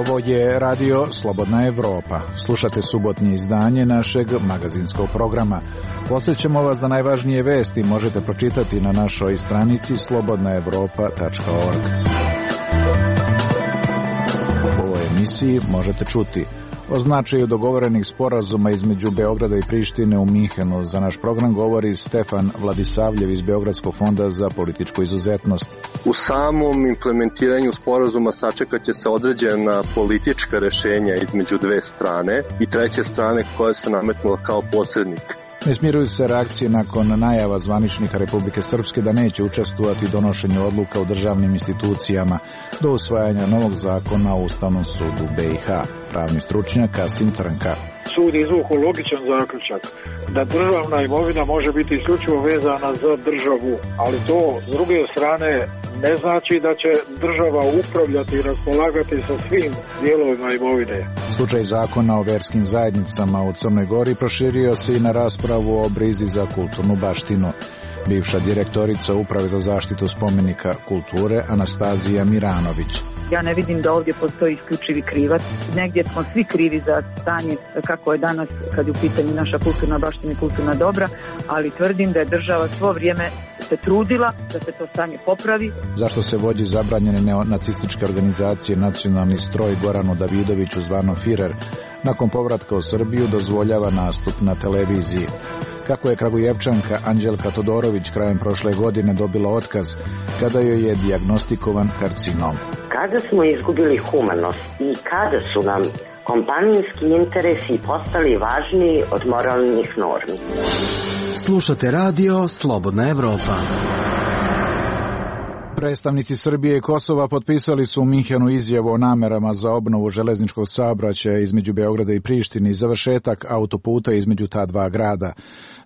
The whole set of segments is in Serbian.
Ovo je radio Slobodna Evropa. Slušate subotnje izdanje našeg magazinskog programa. Podsjećamo vas da najvažnije vesti možete pročitati na našoj stranici slobodnaevropa.org. U ovoj emisiji možete čuti o značaju dogovorenih sporazuma između Beograda i Prištine u Minhenu. Za naš program govori Stefan Vladisavljev iz Beogradskog fonda za političku izuzetnost. U samom implementiranju sporazuma sačekat će se određena politička rešenja između dve strane i treće strane koja se nametnula kao posrednik. Ne smiruju se reakcije nakon najava zvaničnika Republike Srpske da neće učestvovati u donošenju odluka u državnim institucijama do usvajanja novog zakona o Ustavnom sudu BiH. Pravni stručnjak Kasim Trnka. Sud izvukao logičan zaključak da državna imovina može biti isključivo vezana za državu, ali to s druge strane ne znači da će država upravljati i raspolagati sa svim dijelovima imovine. Slučaj zakona o verskim zajednicama u Crnoj Gori proširio se i na raspravu o brizi za kulturnu baštinu. Bivša direktorica Uprave za zaštitu spomenika kulture Anastazija Miranović. Ja ne vidim da ovdje postoji isključivi krivac. Negdje smo svi krivi za stanje kako je danas kad je u pitanju naša kulturna baština i kulturna dobra, ali tvrdim da je država svo vrijeme se trudila da se to stanje popravi. Zašto se vođi zabranjene neonacističke organizacije Nacionalni stroj Goranu Davidoviću zvano Firer nakon povratka u Srbiju dozvoljava nastup na televiziji? Kako je Kragujevčanka Anđelka Todorović krajem prošle godine dobila otkaz kada joj je dijagnostikovan karcinom? Kada smo izgubili humanost i kada su nam kompanijski interesi postali važniji od moralnih normi. Slušate radio Slobodna Evropa. Predstavnici Srbije i Kosova potpisali su u Minhenu izjavu o namerama za obnovu železničkog saobraćaja između Beograda i Prištine i završetak autoputa između ta dva grada.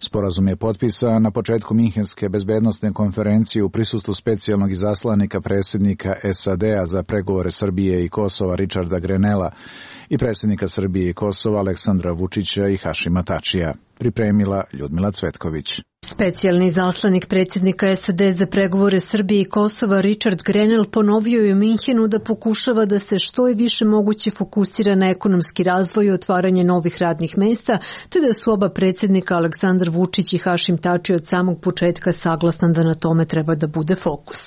Sporazum je potpisan na početku Minhenske bezbednosne konferencije u prisustvu specijalnog izaslanika predsjednika SAD-a za pregovore Srbije i Kosova Richarda Grenella i predsjednika Srbije i Kosova Aleksandra Vučića i Hašima Tačija. Pripremila Ljudmila Cvetković. Specijalni izaslanik predsjednika SAD za pregovore Srbije i Kosova Richard Grenell ponovio je u Minhenu da pokušava da se što je više moguće fokusira na ekonomski razvoj i otvaranje novih radnih mesta, te da su oba predsjednika Aleksandar Vučić i Hašim Tači od samog početka saglasni da na tome treba da bude fokus.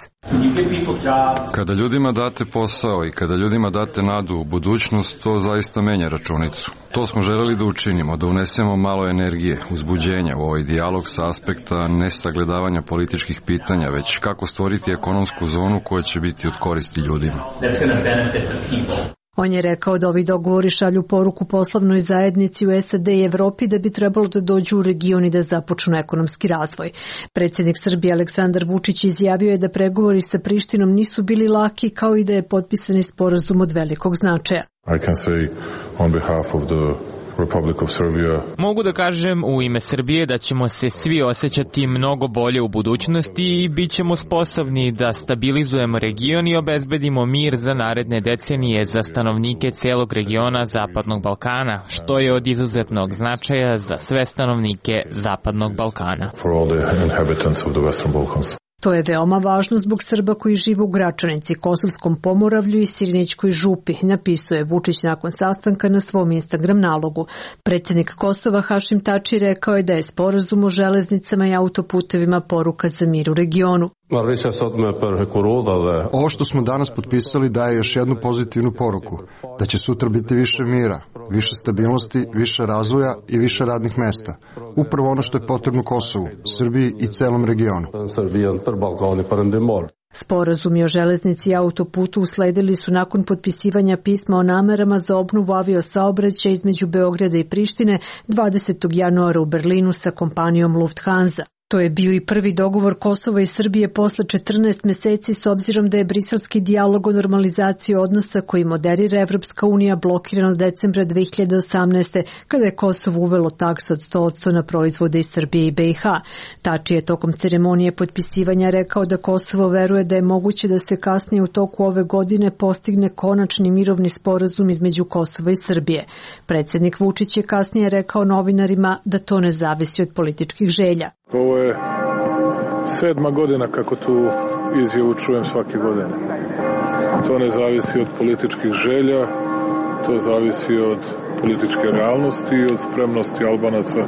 Kada ljudima date posao i kada ljudima date nadu u budućnost, to zaista menja računicu. To smo želeli da učinimo, da unesemo malo energije, uzbuđenja u ovaj dijalog sa aspekta ne sagledavanja političkih pitanja, već kako stvoriti ekonomsku zonu koja će biti od koristi ljudima. On je rekao da ovi dogovori šalju poruku poslovnoj zajednici u SAD i Evropi da bi trebalo da dođu u region i da započnu ekonomski razvoj. Predsjednik Srbije Aleksandar Vučić izjavio je da pregovori sa Prištinom nisu bili laki, kao i da je potpisani sporazum od velikog značaja. I can say on behalf of the Republic of Serbia. Mogu da kažem u ime Srbije da ćemo se svi osjećati mnogo bolje u budućnosti i bit ćemo sposobni da stabilizujemo region i obezbedimo mir za naredne decenije za stanovnike celog regiona Zapadnog Balkana, što je od izuzetnog značaja za sve stanovnike Zapadnog Balkana. For all the inhabitants of the Western Balkans. To je veoma važno zbog Srba koji žive u Gračanici, Kosovskom Pomoravlju i Sirinićkoj župi, napisao je Vučić nakon sastanka na svom Instagram nalogu. Predsjednik Kosova Hašim Tači rekao je da je sporazum o železnicama i autoputevima poruka za mir u regionu. Ovo što smo danas potpisali daje još jednu pozitivnu poruku, da će sutra biti više mira, više stabilnosti, više razvoja i više radnih mesta. Upravo ono što je potrebno Kosovu, Srbiji i celom regionu. Sporazumi o železnici i autoputu usledili su nakon potpisivanja pisma o namerama za obnovu aviosaobraćaja između Beograda i Prištine 20. januara u Berlinu sa kompanijom Lufthansa. To je bio i prvi dogovor Kosova i Srbije posle 14 meseci s obzirom da je briselski dijalog o normalizaciji odnosa koji moderira Evropska unija blokiran od decembra 2018. kada je Kosovo uvelo taksu od 100% na proizvode iz Srbije i BiH. Tači je tokom ceremonije potpisivanja rekao da Kosovo veruje da je moguće da se kasnije u toku ove godine postigne konačni mirovni sporazum između Kosova i Srbije. Predsjednik Vučić je kasnije rekao novinarima da to ne zavisi od političkih želja. Ovo je 7. godina kako tu izjavu čujem svake godine. To ne zavisi od političkih želja, To zavisi od političke realnosti i od spremnosti Albanaca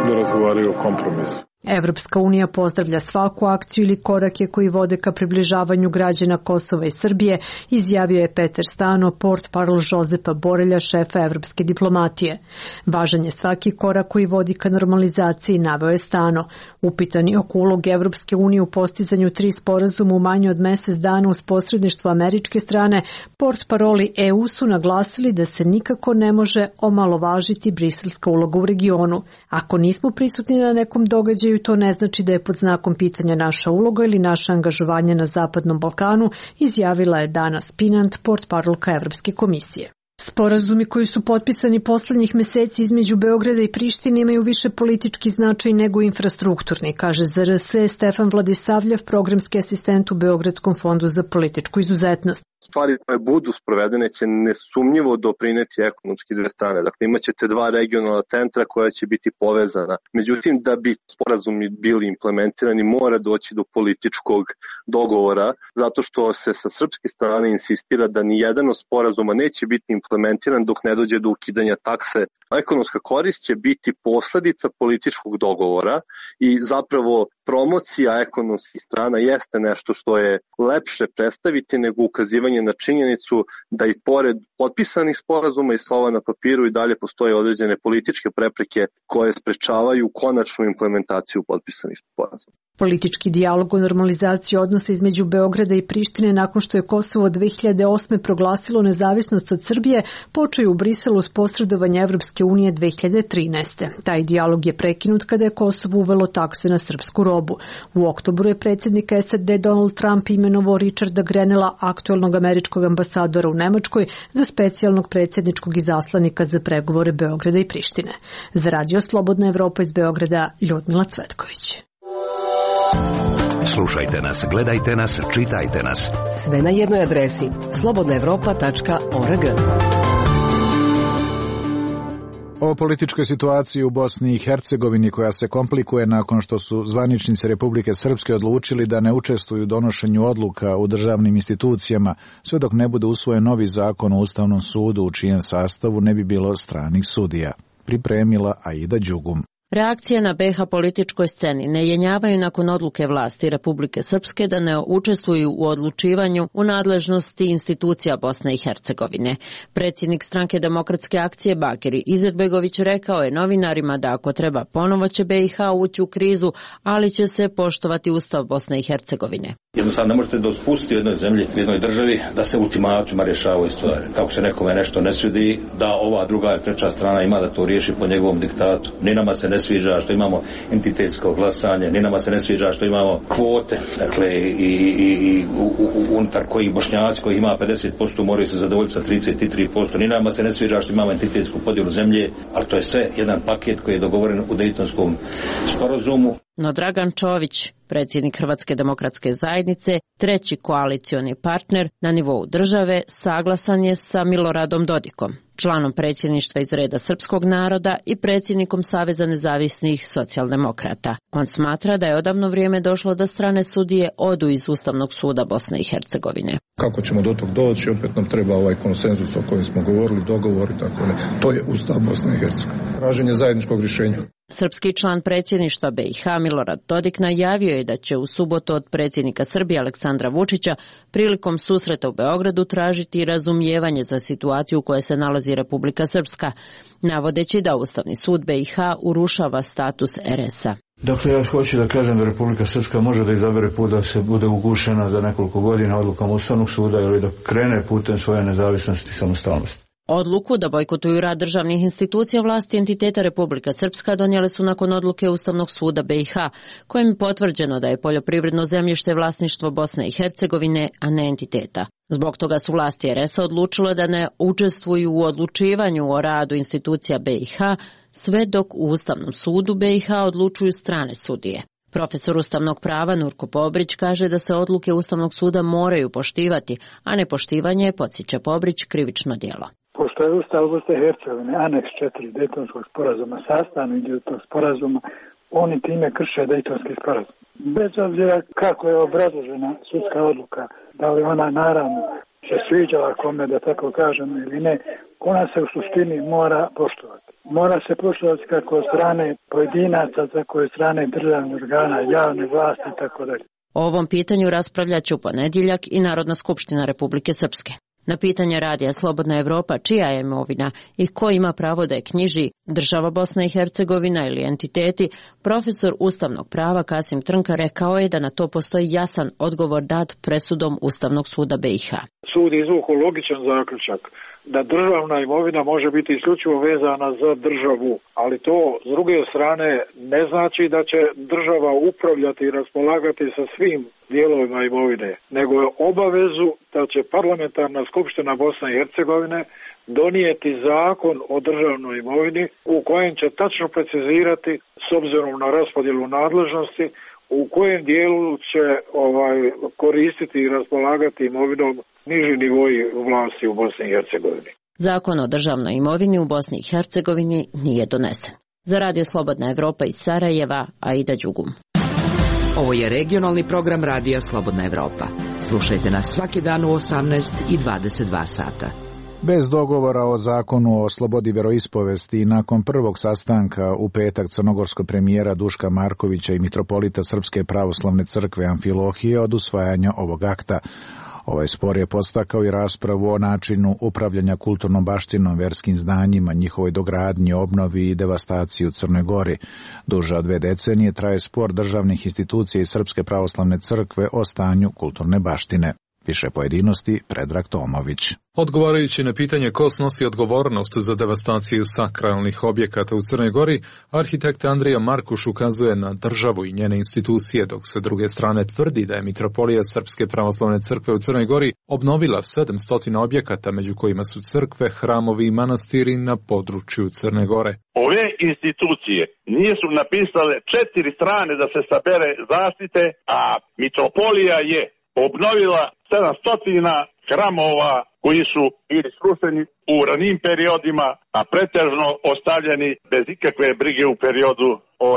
da razgovaraju o kompromisu. Evropska unija pozdravlja svaku akciju ili korake koji vode ka približavanju građana Kosova i Srbije, izjavio je Peter Stano, portparol Žozepa Borelja, šefa evropske diplomatije. Važan je svaki korak koji vodi ka normalizaciji, naveo je Stano. Upitani oko uloge Evropske unije u postizanju 3 sporazuma u manje od mesec dana uz posredništvo američke strane, portparoli EU su naglasili da se nikako ne može omalovažiti briselska uloga u regionu. Ako nismo prisutni na nekom događaju, to ne znači da je pod znakom pitanja naša uloga ili naše angažovanje na Zapadnom Balkanu, izjavila je Dana Spinant, portparolka Evropske komisije. Sporazumi koji su potpisani poslednjih meseci između Beograda i Prištine imaju više politički značaj nego infrastrukturni, kaže za RS Stefan Vladisavljev, programski asistent u Beogradskom fondu za političku izuzetnost. Stvari koje budu sprovedene će nesumnjivo doprineti ekonomski dve strane. Dakle, imaćete 2 regionalna centra koja će biti povezana. Međutim, da bi sporazumi bili implementirani, mora doći do političkog dogovora, zato što se sa srpske strane insistira da ni jedan od sporazuma neće biti implementiran dok ne dođe do ukidanja takse. Ekonomska korist će biti posledica političkog dogovora i zapravo promocija ekonomskih strana jeste nešto što je lepše predstaviti nego ukazivanje na činjenicu da i pored potpisanih sporazuma i slova na papiru i dalje postoje određene političke prepreke koje sprečavaju konačnu implementaciju potpisanih sporazuma. Politički dijalog o normalizaciji odnosa između Beograda i Prištine nakon što je Kosovo 2008. proglasilo nezavisnost od Srbije počeo u Briselu s posredovanja Evropske unije 2013. Taj dijalog je prekinut kada je Kosovo uvelo takse na srpsku robu. U oktobru je predsjednik SAD Donald Trump imenovao Richarda Grenella, aktuelnog američkog ambasadora u Nemačkoj, za specijalnog predsjedničkog izaslanika za pregovore Beograda i Prištine. Za Radio Slobodna Evropa iz Beograda, Ljudmila Cvetković. Slušajte nas, gledajte nas, čitajte nas. Sve na jednoj adresi slobodnaevropa.org. O političkoj situaciji u Bosni i Hercegovini koja se komplikuje nakon što su zvaničnici Republike Srpske odlučili da ne učestvuju u donošenju odluka u državnim institucijama sve dok ne bude usvojen novi zakon o Ustavnom sudu u čijem sastavu ne bi bilo stranih sudija. Pripremila Aida Đugum. Reakcije na BiH političkoj sceni ne jenjavaju nakon odluke vlasti Republike Srpske da ne učestvuju u odlučivanju u nadležnosti institucija Bosne i Hercegovine. Predsjednik stranke Demokratske akcije Bakir Izetbegović rekao je novinarima da ako treba ponovo će BiH ući u krizu, ali će se poštovati Ustav Bosne i Hercegovine. Jednostavno ne možete da spustiti u jednoj zemlji, u jednoj državi, da se ultimatima rješavaju stvari. Kako se nekome nešto ne svidi, da ova druga i treća strana ima da to riješi po njegovom diktatu. Ni nama se ne sviđa što imamo entitetsko glasanje, ni nama se ne sviđa što imamo kvote, dakle i unutar kojih Bošnjaci koji ima 50% moraju se zadovoljiti sa 33%, ni nama se ne sviđa što imamo entitetsku podjelu zemlje, ali to je sve jedan paket koji je dogovoren u Dejtonskom sporazumu. No Dragan Čović, predsjednik Hrvatske demokratske zajednice, treći koalicioni partner na nivou države, saglasan je sa Miloradom Dodikom, članom predsjedništva iz reda srpskog naroda i predsjednikom Saveza nezavisnih socijaldemokrata. On smatra da je odavno vrijeme došlo da strane sudije odu iz Ustavnog suda Bosne i Hercegovine. Kako ćemo do tog doći, opet nam treba ovaj konsenzus o kojem smo govorili, dogovor i tako ne. To je Ustav Bosne i Hercegovine. Traženje zajedničkog rješenja. Srpski član predsjedništva BiH Milorad Dodik najavio je da će u subotu od predsjednika Srbije Aleksandra Vučića prilikom susreta u Beogradu tražiti razumijevanje za situaciju u kojoj se nalazi Republika Srpska, navodeći da Ustavni sud BiH urušava status RS-a. Dakle, ja hoću da kažem da Republika Srpska može da izabere put da se bude ugušena za nekoliko godina odlukom Ustavnog suda ili da krene putem svoje nezavisnosti i samostalnosti. Odluku da bojkotuju rad državnih institucija vlasti entiteta Republika Srpska donijele su nakon odluke Ustavnog suda BiH, kojim je potvrđeno da je poljoprivredno zemljište vlasništvo Bosne i Hercegovine, a ne entiteta. Zbog toga su vlasti RS-a odlučile da ne učestvuju u odlučivanju o radu institucija BiH, sve dok u Ustavnom sudu BiH odlučuju strane sudije. Profesor ustavnog prava Nurko Pobrić kaže da se odluke Ustavnog suda moraju poštivati, a nepoštivanje je, podsjeća Pobrić, krivično djelo. Pošto je Ustav Bosne i Hercegovine, aneks 4 Dejtonskog sporazuma, sastavni dio tog sporazuma, oni time krše Dejtonski sporazum. Bez obzira kako je obrazložena sudska odluka, da li ona naravno se sviđala kome, da tako kažem, ili ne, ona se u suštini mora poštovati. Mora se poštovati kako od strane pojedinaca, tako od strane državnih organa, javne vlasti i tako dalje. O ovom pitanju raspravljaće u ponedjeljak i Narodna skupština Republike Srpske. Na pitanje radija Slobodna Evropa čija je imovina i ko ima pravo da je knjiži, država Bosna i Hercegovina ili entiteti, profesor ustavnog prava Kasim Trnka rekao je da na to postoji jasan odgovor dat presudom Ustavnog suda BiH. Sud izvukao logičan zaključak da državna imovina može biti isključivo vezana za državu, ali to s druge strane ne znači da će država upravljati i raspolagati sa svim dijelovima imovine, nego je obavezu da će parlamentarna skupština Bosne i Hercegovine donijeti zakon o državnoj imovini u kojem će tačno precizirati, s obzirom na raspodjelu nadležnosti, u kojem dijelu će koristiti i raspolagati imovinom niži nivoji vlasti u Bosni i Hercegovini. Zakon o državnoj imovini u Bosni i Hercegovini nije donesen. Za Radio Slobodna Evropa iz Sarajeva, Aida Đugum. Ovo je regionalni program Radija Slobodna Evropa. Slušajte nas svaki dan u 18 i 22 sata. Bez dogovora o zakonu o slobodi vjeroispovesti i nakon prvog sastanka u petak crnogorskog premijera Duška Markovića i mitropolita Srpske pravoslavne crkve Amfilohije od usvajanja ovog akta. Ovaj spor je podstakao i raspravu o načinu upravljanja kulturnom baštinom, verskim zdanjima, njihovoj dogradnji, obnovi i devastaciji u Crnoj Gori. Duže od 2 decenije traje spor državnih institucija i Srpske pravoslavne crkve o stanju kulturne baštine. Više pojedinosti, Predrag Tomović. Odgovarajući na pitanje ko snosi odgovornost za devastaciju sakralnih objekata u Crnoj Gori, arhitekt Andrija Markuš ukazuje na državu i njene institucije, dok se druge strane tvrdi da je mitropolija Srpske pravoslavne crkve u Crnoj Gori obnovila 700 objekata, među kojima su crkve, hramovi i manastiri na području Crne Gore. Ove institucije nisu napisale 4 strane da se sabere zaštite, a mitropolija je obnovila 700 hramova koji su bili srušeni u ranijim periodima, a pretežno ostavljeni bez ikakve brige u periodu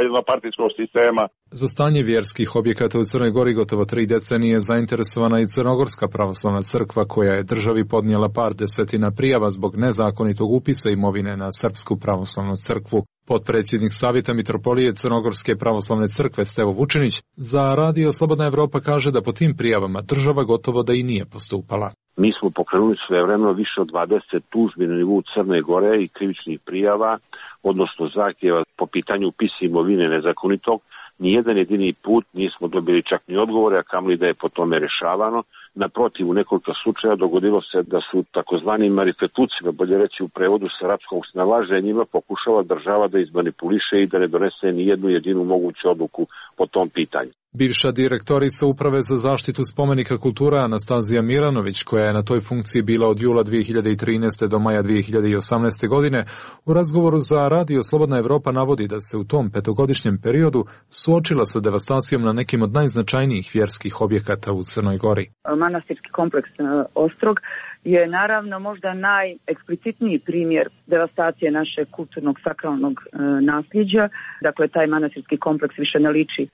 jednopartijskog sistema. Za stanje vjerskih objekata u Crnoj Gori gotovo 3 decenije zainteresovana i Crnogorska pravoslavna crkva, koja je državi podnijela par desetina prijava zbog nezakonitog upisa imovine na Srpsku pravoslavnu crkvu. Potpredsjednik Savjeta mitropolije Crnogorske pravoslavne crkve Stevo Vučinić za Radio Slobodna Evropa kaže da po tim prijavama država gotovo da i nije postupala. Mi smo pokrenuli svojevremeno više od 20 tužbi na nivou Crne Gore i krivičnih prijava, odnosno zahtjeva po pitanju upisa imovine nezakonitog. Nijedan jedini put nismo dobili čak ni odgovore, a kamoli da je po tome rešavano. Naprotiv, u nekoliko slučaja dogodilo se da su takozvani marifetucima, bolje reći u prevodu sa arapskog snalaženjima, pokušala država da izmanipuliše i da ne donese ni jednu jedinu moguću odluku po tom pitanju. Bivša direktorica Uprave za zaštitu spomenika kultura Anastazija Miranović, koja je na toj funkciji bila od jula 2013. do maja 2018. godine, u razgovoru za Radio Slobodna Evropa navodi da se u tom 5-godišnjem periodu suočila sa devastacijom na nekim od najznačajnijih vjerskih objekata u Crnoj Gori. Manastirski kompleks Ostrog je naravno možda najeksplicitniji primjer devastacije našeg kulturnog sakralnog nasljeđa. Dakle, taj manastirski kompleks više ne liči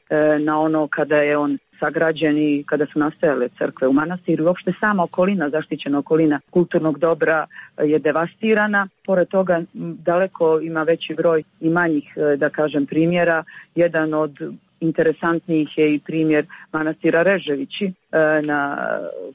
na ono kada je on sagrađen i kada su nastajale crkve u manastiru. Uopšte sama okolina, zaštićena okolina kulturnog dobra je devastirana. Pored toga daleko ima veći broj i manjih, da kažem, primjera. Jedan od interesantnijih je i primjer manastira Reževići na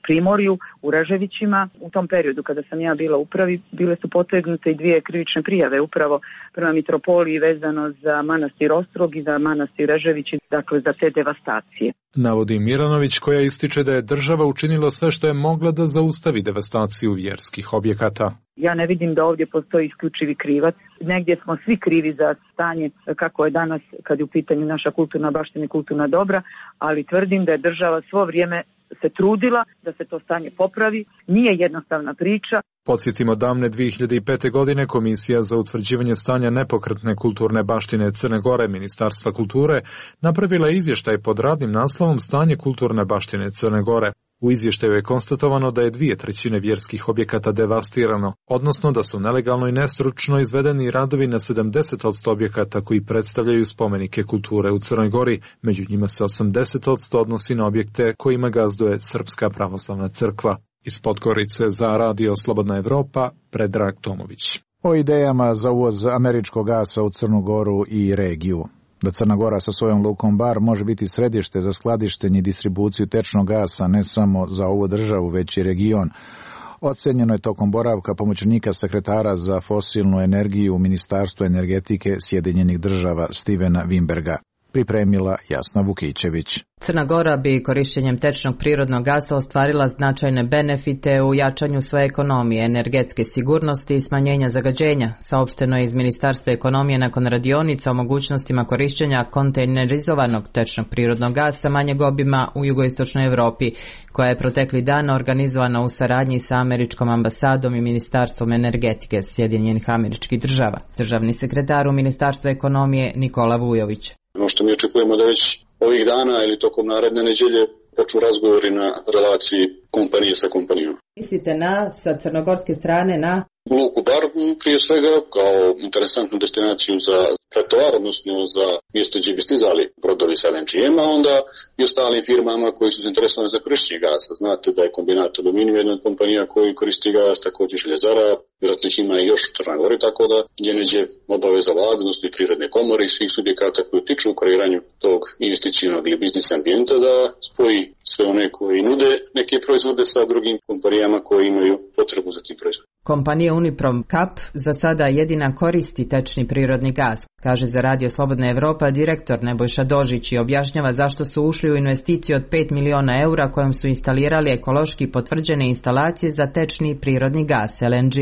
Primorju u Reževićima. U tom periodu kada sam ja bila u upravi, bile su potegnute i 2 krivične prijave upravo prema mitropoliji vezano za manastir Ostrog i za manastir Reževići, dakle za te devastacije. Navodi Miranović, koja ističe da je država učinila sve što je mogla da zaustavi devastaciju vjerskih objekata. Ja ne vidim da ovdje postoji isključivi krivac. Negdje smo svi krivi za stanje kako je danas kad je u pitanju naša kulturna baština i kulturna dobra, ali tvrdim da je država svo vrijeme se trudila da se to stanje popravi. Nije jednostavna priča. Podsjetimo, davne 2005. godine Komisija za utvrđivanje stanja nepokretne kulturne baštine Crne Gore Ministarstva kulture napravila je izvještaj pod radnim naslovom Stanje kulturne baštine Crne Gore. U izvještaju je konstatovano da je 2/3 vjerskih objekata devastirano, odnosno da su nelegalno i nestručno izvedeni radovi na 70% objekata koji predstavljaju spomenike kulture u Crnoj Gori, među njima se 80% odnosi na objekte kojima gazduje Srpska pravoslavna crkva. Iz Podgorice za Radio Slobodna Evropa, Predrag Tomović. O idejama za uvoz američkog gasa u Crnu Goru i regiju. Da Crna Gora sa svojom lukom Bar može biti središte za skladištenje i distribuciju tečnog gasa ne samo za ovu državu, već i region. Ocenjeno je tokom boravka pomoćnika sekretara za fosilnu energiju u Ministarstvu energetike Sjedinjenih država Stevena Wimberga. Pripremila Jasna Vukićević. Crna Gora bi korišćenjem tečnog prirodnog gasa ostvarila značajne benefite u jačanju svoje ekonomije, energetske sigurnosti i smanjenja zagađenja, saopšteno je iz Ministarstva ekonomije nakon radionica o mogućnostima korišćenja kontejnerizovanog tečnog prirodnog gasa manjeg obima u jugoistočnoj Evropi, koja je protekli dan organizovana u saradnji sa američkom ambasadom i Ministarstvom energetike Sjedinjenih Američkih Država. Državni sekretar u Ministarstvu ekonomije Nikola Vujović. Ono što mi očekujemo da već ovih dana ili tokom naredne nedelje počnu razgovori na relaciji kompanije sa kompanijom. Mislite sa crnogorske strane na luku Bar prije svega kao interesantnu destinaciju za pretovar, odnosno za mjesto gdje bi stizali brodovi sa LNG-em, a onda i ostalim firmama koji su zainteresovani za korištenje gasa. Znate da je Kombinat Aluminijum jedna od kompanija koji koristi gas, također Željezara, vjerojatno ih ima i još u Crnoj Gori, tako da je neđe obaveza vlade, odnosno i Prirodne komore i svih subjekata koji utiču u kreiranju tog investicijnog ili biznis ambijenta da spoji sve one koji nude neke proizvode sa drugim kompanijama koji imaju potrebu za tim proizvodom. Kompanija Uniprom Kap za sada jedina koristi tečni prirodni gas, kaže za Radio Slobodna Evropa direktor Nebojša Dožić i objašnjava zašto su ušli u investiciju od 5 miliona eura kojom su instalirali ekološki potvrđene instalacije za tečni prirodni gas LNG.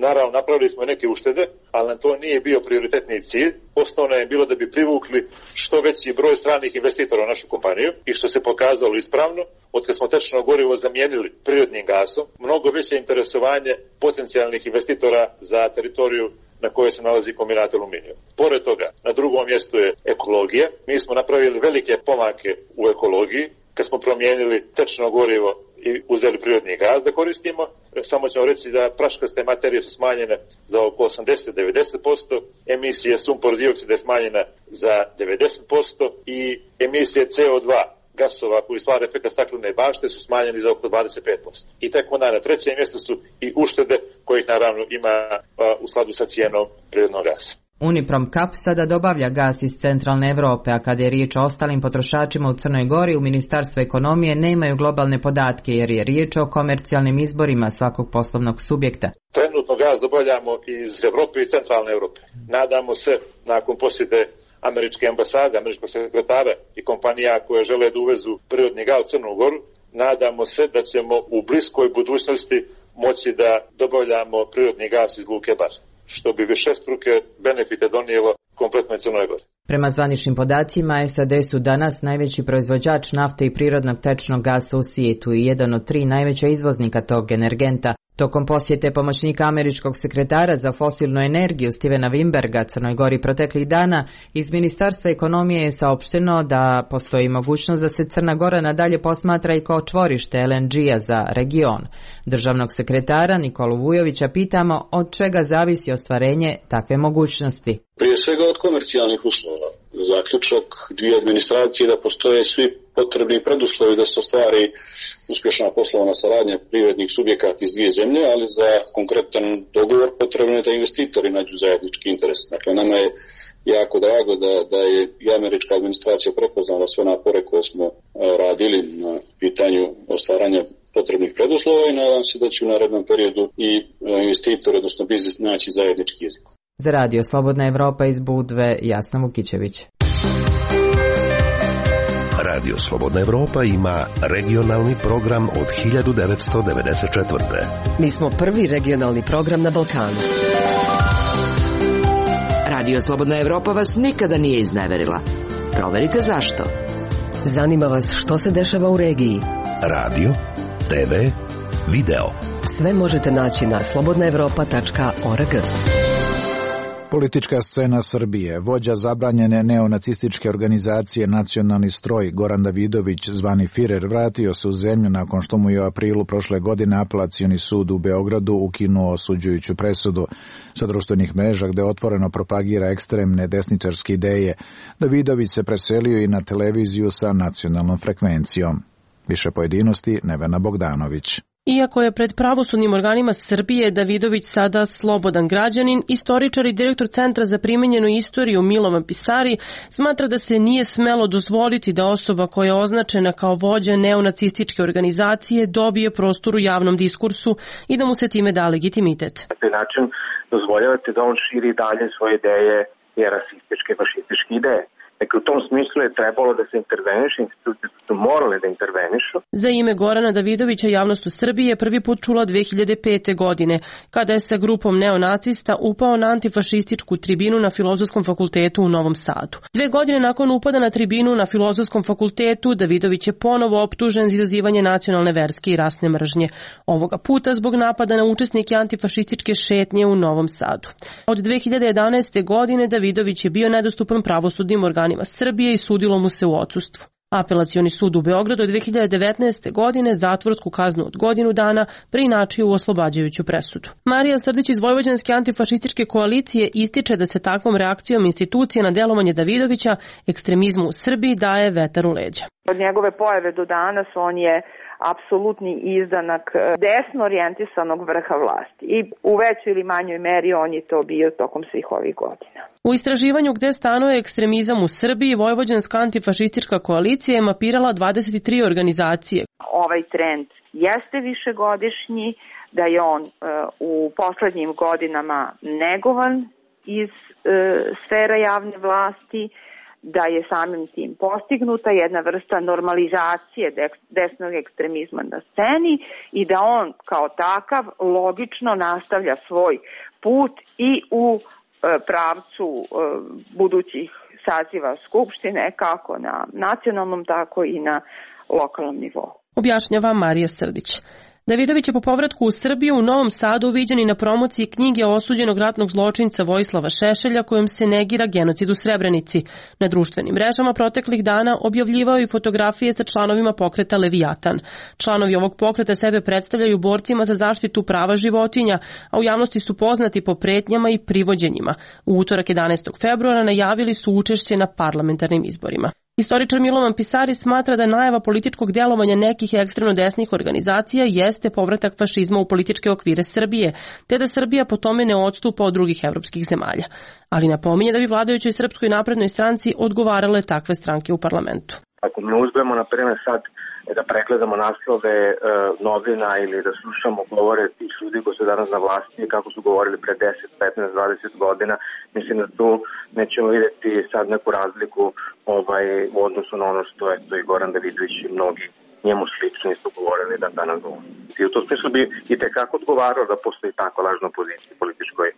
Naravno, napravili smo neke uštede, ali nam to nije bio prioritetni cilj. Osnovno je bilo da bi privukli što veći broj stranih investitora u našu kompaniju i što se pokazalo ispravno. Od kad smo tečno gorivo zamijenili prirodnim gasom, mnogo veće interesovanje potencijalnih investitora za teritoriju na kojoj se nalazi kombinat Aluminijum. Pored toga, na drugom mjestu je ekologija. Mi smo napravili velike pomake u ekologiji kad smo promijenili tečno gorivo i uzeli prirodni gaz da koristimo. Samo ćemo reći da praškaste materije su smanjene za oko 80-90%, emisije sumpor dioksida je smanjena za 90% i emisije CO2 gasova koji stvara efekt staklene bašte su smanjeni za oko 25%. I tek onda na trećem mjestu su i uštede kojih naravno ima u skladu sa cijenom prirodnog gasa. Uniprom Kap sada dobavlja gas iz centralne Evrope, a kada je riječ o ostalim potrošačima u Crnoj Gori, u Ministarstvu ekonomije nemaju globalne podatke jer je riječ o komercijalnim izborima svakog poslovnog subjekta. Trenutno gaz dobavljamo iz Evrope i centralne Evrope. Nadamo se, nakon posjete američke ambasade, američkog sekretara i kompanija koje žele da uvezu prirodni gaz u Crnu Goru, nadamo se da ćemo u bliskoj budućnosti moći da dobavljamo prirodni gaz iz luke Bar, što bi višestruke benefite donijelo kompletnoj Crnoj Gori. Prema zvaničnim podacima, SAD su danas najveći proizvođač nafte i prirodnog tečnog gasa u svijetu i jedan od 3 najveća izvoznika tog energenta. Tokom posjete pomoćnika američkog sekretara za fosilnu energiju Stevena Wimberga Crnoj Gori proteklih dana, iz Ministarstva ekonomije je saopšteno da postoji mogućnost da se Crna Gora nadalje posmatra i kao čvorište LNG-a za region. Državnog sekretara Nikolu Vujovića pitamo od čega zavisi ostvarenje takve mogućnosti. Prije svega od komercijalnih uslova. Zaključak dvije administracije da postoje svi potrebni preduslovi da se ostvari uspješna poslovna saradnja privrednih subjekata iz dvije zemlje, ali za konkretan dogovor potrebno je da investitori nađu zajednički interes. Dakle, nama je jako drago da je i američka administracija prepoznala sve napore koje smo radili na pitanju ostvaranja potrebnih preduslova i nadam se da će u narednom periodu i investitori, odnosno biznis, naći zajednički jezik. Za Radio Slobodna Evropa iz Budve, Jasna Vukićević. Radio Slobodna Evropa ima regionalni program od 1994. Mi smo prvi regionalni program na Balkanu. Radio Slobodna Evropa vas nikada nije izneverila. Proverite zašto. Zanima vas što se dešava u regiji. Radio, TV, video. Sve možete naći na slobodnaevropa.org. Politička scena Srbije. Vođa zabranjene neonacističke organizacije Nacionalni stroj Goran Davidović, zvani Firer, vratio se u zemlju nakon što mu je u aprilu prošle godine Apelacioni sud u Beogradu ukinuo osuđujuću presudu. Sa društvenih mreža gde otvoreno propagira ekstremne desničarske ideje, Davidović se preselio i na televiziju sa nacionalnom frekvencijom. Više pojedinosti Nevena Bogdanović. Iako je pred pravosudnim organima Srbije Davidović sada slobodan građanin, istoričar i direktor Centra za primenjenu istoriju Milovan Pisari smatra da se nije smelo dozvoliti da osoba koja je označena kao vođa neonacističke organizacije dobije prostor u javnom diskursu i da mu se time da legitimitet. Na taj način dozvoljavate da on širi dalje svoje ideje i rasističke, fašističke ideje. Dakle, u tom smislu je trebalo da se interveniše, institucije su morale da intervenišu. Za ime Gorana Davidovića javnost u Srbiji je prvi put čula 2005. godine, kada je sa grupom neonacista upao na antifašističku tribinu na Filozofskom fakultetu u Novom Sadu. 2 godine nakon upada na tribinu na Filozofskom fakultetu, Davidović je ponovo optužen za izazivanje nacionalne, verske i rasne mržnje. Ovoga puta zbog napada na učesnike antifašističke šetnje u Novom Sadu. Od 2011. godine Davidović je bio nedostupan pravosudnim organima Srbije i sudilo mu se u odsustvu. Apelacioni sud u Beogradu od 2019. godine zatvorsku kaznu od godinu dana preinačio u oslobađajuću presudu. Marija Srdić iz Vojvođanske antifašističke koalicije ističe da se takvom reakcijom institucije na delovanje Davidovića ekstremizmu u Srbiji daje vetar u leđa. Od njegove pojave do danas on je apsolutni izdanak desno orijentisanog vrha vlasti i u većoj ili manjoj meri on je to bio tokom svih ovih godina. U istraživanju gde stanuje ekstremizam u Srbiji, Vojvođanska antifašistička koalicija je mapirala 23 organizacije. Ovaj trend jeste višegodišnji, da je on u poslednjim godinama negovan iz sfera javne vlasti, da je samim tim postignuta jedna vrsta normalizacije desnog ekstremizma na sceni i da on kao takav logično nastavlja svoj put i u pravcu budućih saziva Skupštine, kako na nacionalnom, tako i na lokalnom nivou. Objašnjava Marija Srdić. Davidović je po povratku u Srbiju u Novom Sadu viđen i na promociji knjige osuđenog ratnog zločinca Vojislava Šešelja kojom se negira genocid u Srebrenici. Na društvenim mrežama proteklih dana objavljivao i fotografije sa članovima pokreta Leviatan. Članovi ovog pokreta sebe predstavljaju borcima za zaštitu prava životinja, a u javnosti su poznati po pretnjama i privođenjima. U utorak 11. februara najavili su učešće na parlamentarnim izborima. Istoričar Milovan Pisari smatra da najava političkog delovanja nekih ekstremno desnih organizacija jeste povratak fašizma u političke okvire Srbije, te da Srbija po tome ne odstupa od drugih evropskih zemalja. Ali napominje da bi vladajućoj Srpskoj naprednoj stranci odgovarale takve stranke u parlamentu. Ako ne uzmemo, na primjer, sad da pregledamo naslove novina ili da slušamo govore tih ljudi koji su danas na vlasti kako su govorili pre 10, 15, 20 godina, mislim da tu nećemo vidjeti sad neku razliku u odnosu na ono što je to i Goran Davidović i mnogi njemu slični su govorili da danas govori. I u tom smislu bi i tekako odgovarao da postoji tako lažna pozicija političkoj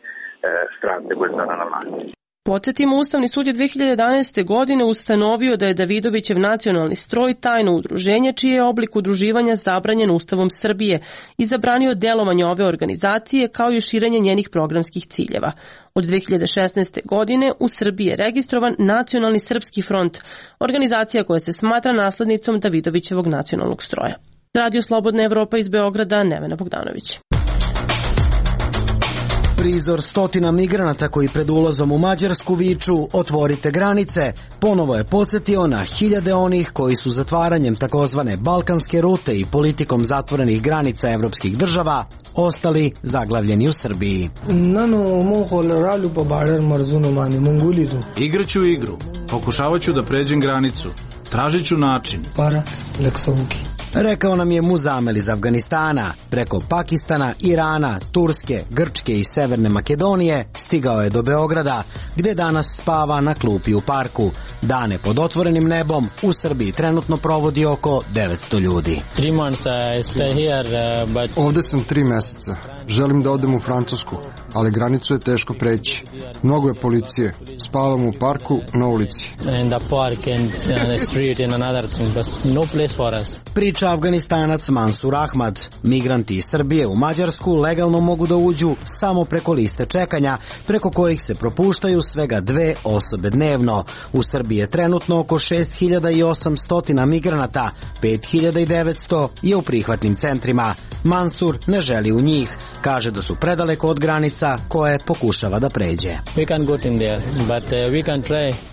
stranke koja je sada na vlasti. Podsjetimo, Ustavni sud je 2011. godine ustanovio da je Davidovićev nacionalni stroj tajno udruženje čiji je oblik udruživanja zabranjen Ustavom Srbije i zabranio delovanje ove organizacije kao i širenje njenih programskih ciljeva. Od 2016. godine u Srbiji je registrovan Nacionalni srpski front, organizacija koja se smatra naslednicom Davidovićevog nacionalnog stroja. Radio Slobodna Evropa iz Beograda, Nevena Bogdanović. Prizor stotina migranata koji pred ulazom u Mađarsku viču "Otvorite granice" ponovo je podsjetio na hiljade onih koji su zatvaranjem takozvane balkanske rute i politikom zatvorenih granica evropskih država ostali zaglavljeni u Srbiji. Igraću igru, pokušavaću da pređem granicu, tražit ću način. Rekao nam je Muzamel iz Afganistana. Preko Pakistana, Irana, Turske, Grčke i Severne Makedonije stigao je do Beograda, gde danas spava na klupi u parku. Dane pod otvorenim nebom u Srbiji trenutno provodi oko 900 ljudi. Ovde sam 3 meseca. Želim da odem u Francusku, ali granicu je teško preći. Mnogo je policije. Spavam u parku, na ulici. Priča Afganistanac Mansur Ahmad. Migranti iz Srbije u Mađarsku legalno mogu da uđu samo preko liste čekanja, preko kojih se propuštaju svega 2 osobe dnevno. U Srbiji je trenutno oko 6800 migranata, 5900 je u prihvatnim centrima. Mansur ne želi u njih. Kaže da su predaleko od granica koje pokušava da pređe.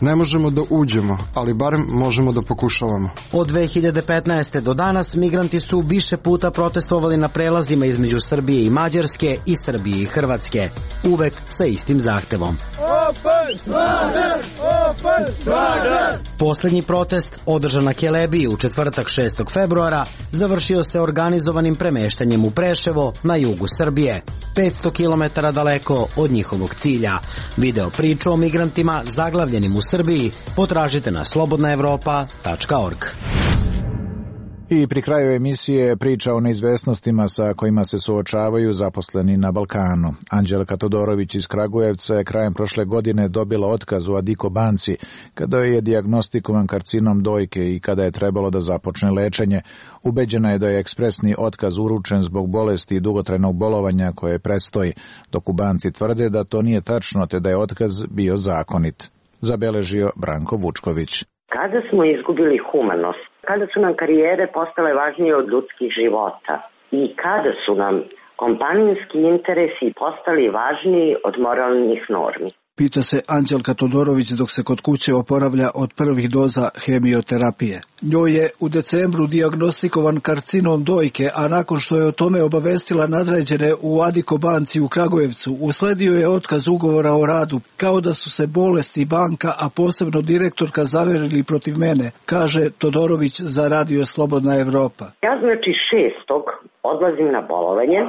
Ne možemo da uđemo, ali barem možemo da pokušavamo. Od 2015. do danas Danas migranti su više puta protestovali na prelazima između Srbije i Mađarske i Srbije i Hrvatske, uvek sa istim zahtevom. Poslednji protest, održan na Kelebiji u četvrtak 6. februara, završio se organizovanim premeštanjem u Preševo na jugu Srbije, 500 km daleko od njihovog cilja. Video priču o migrantima zaglavljenim u Srbiji potražite na slobodnaevropa.org. I pri kraju emisije priča o neizvesnostima sa kojima se suočavaju zaposleni na Balkanu. Anđelka Todorović iz Kragujevca je krajem prošle godine dobila otkaz u Adiko banci kada je dijagnostikovan karcinom dojke i kada je trebalo da započne lečenje. Ubeđena je da je ekspresni otkaz uručen zbog bolesti i dugotrajnog bolovanja koje predstoji, dok u banci tvrde da to nije tačno te da je otkaz bio zakonit. Zabeležio Branko Vučković. Kada smo izgubili humanost, kada su nam karijere postale važnije od ljudskih života i kada su nam kompanijski interesi postali važniji od moralnih normi. Pita se Anđelka Todorović dok se kod kuće oporavlja od prvih doza hemioterapije. Njoj je u decembru dijagnostikovan karcinom dojke, a nakon što je o tome obavestila nadređene u Adiko banci u Kragujevcu, usledio je otkaz ugovora o radu, kao da su se bolesti banka, a posebno direktorka zaverili protiv mene, kaže Todorović za Radio Slobodna Evropa. Ja znači 6. odlazim na bolovanje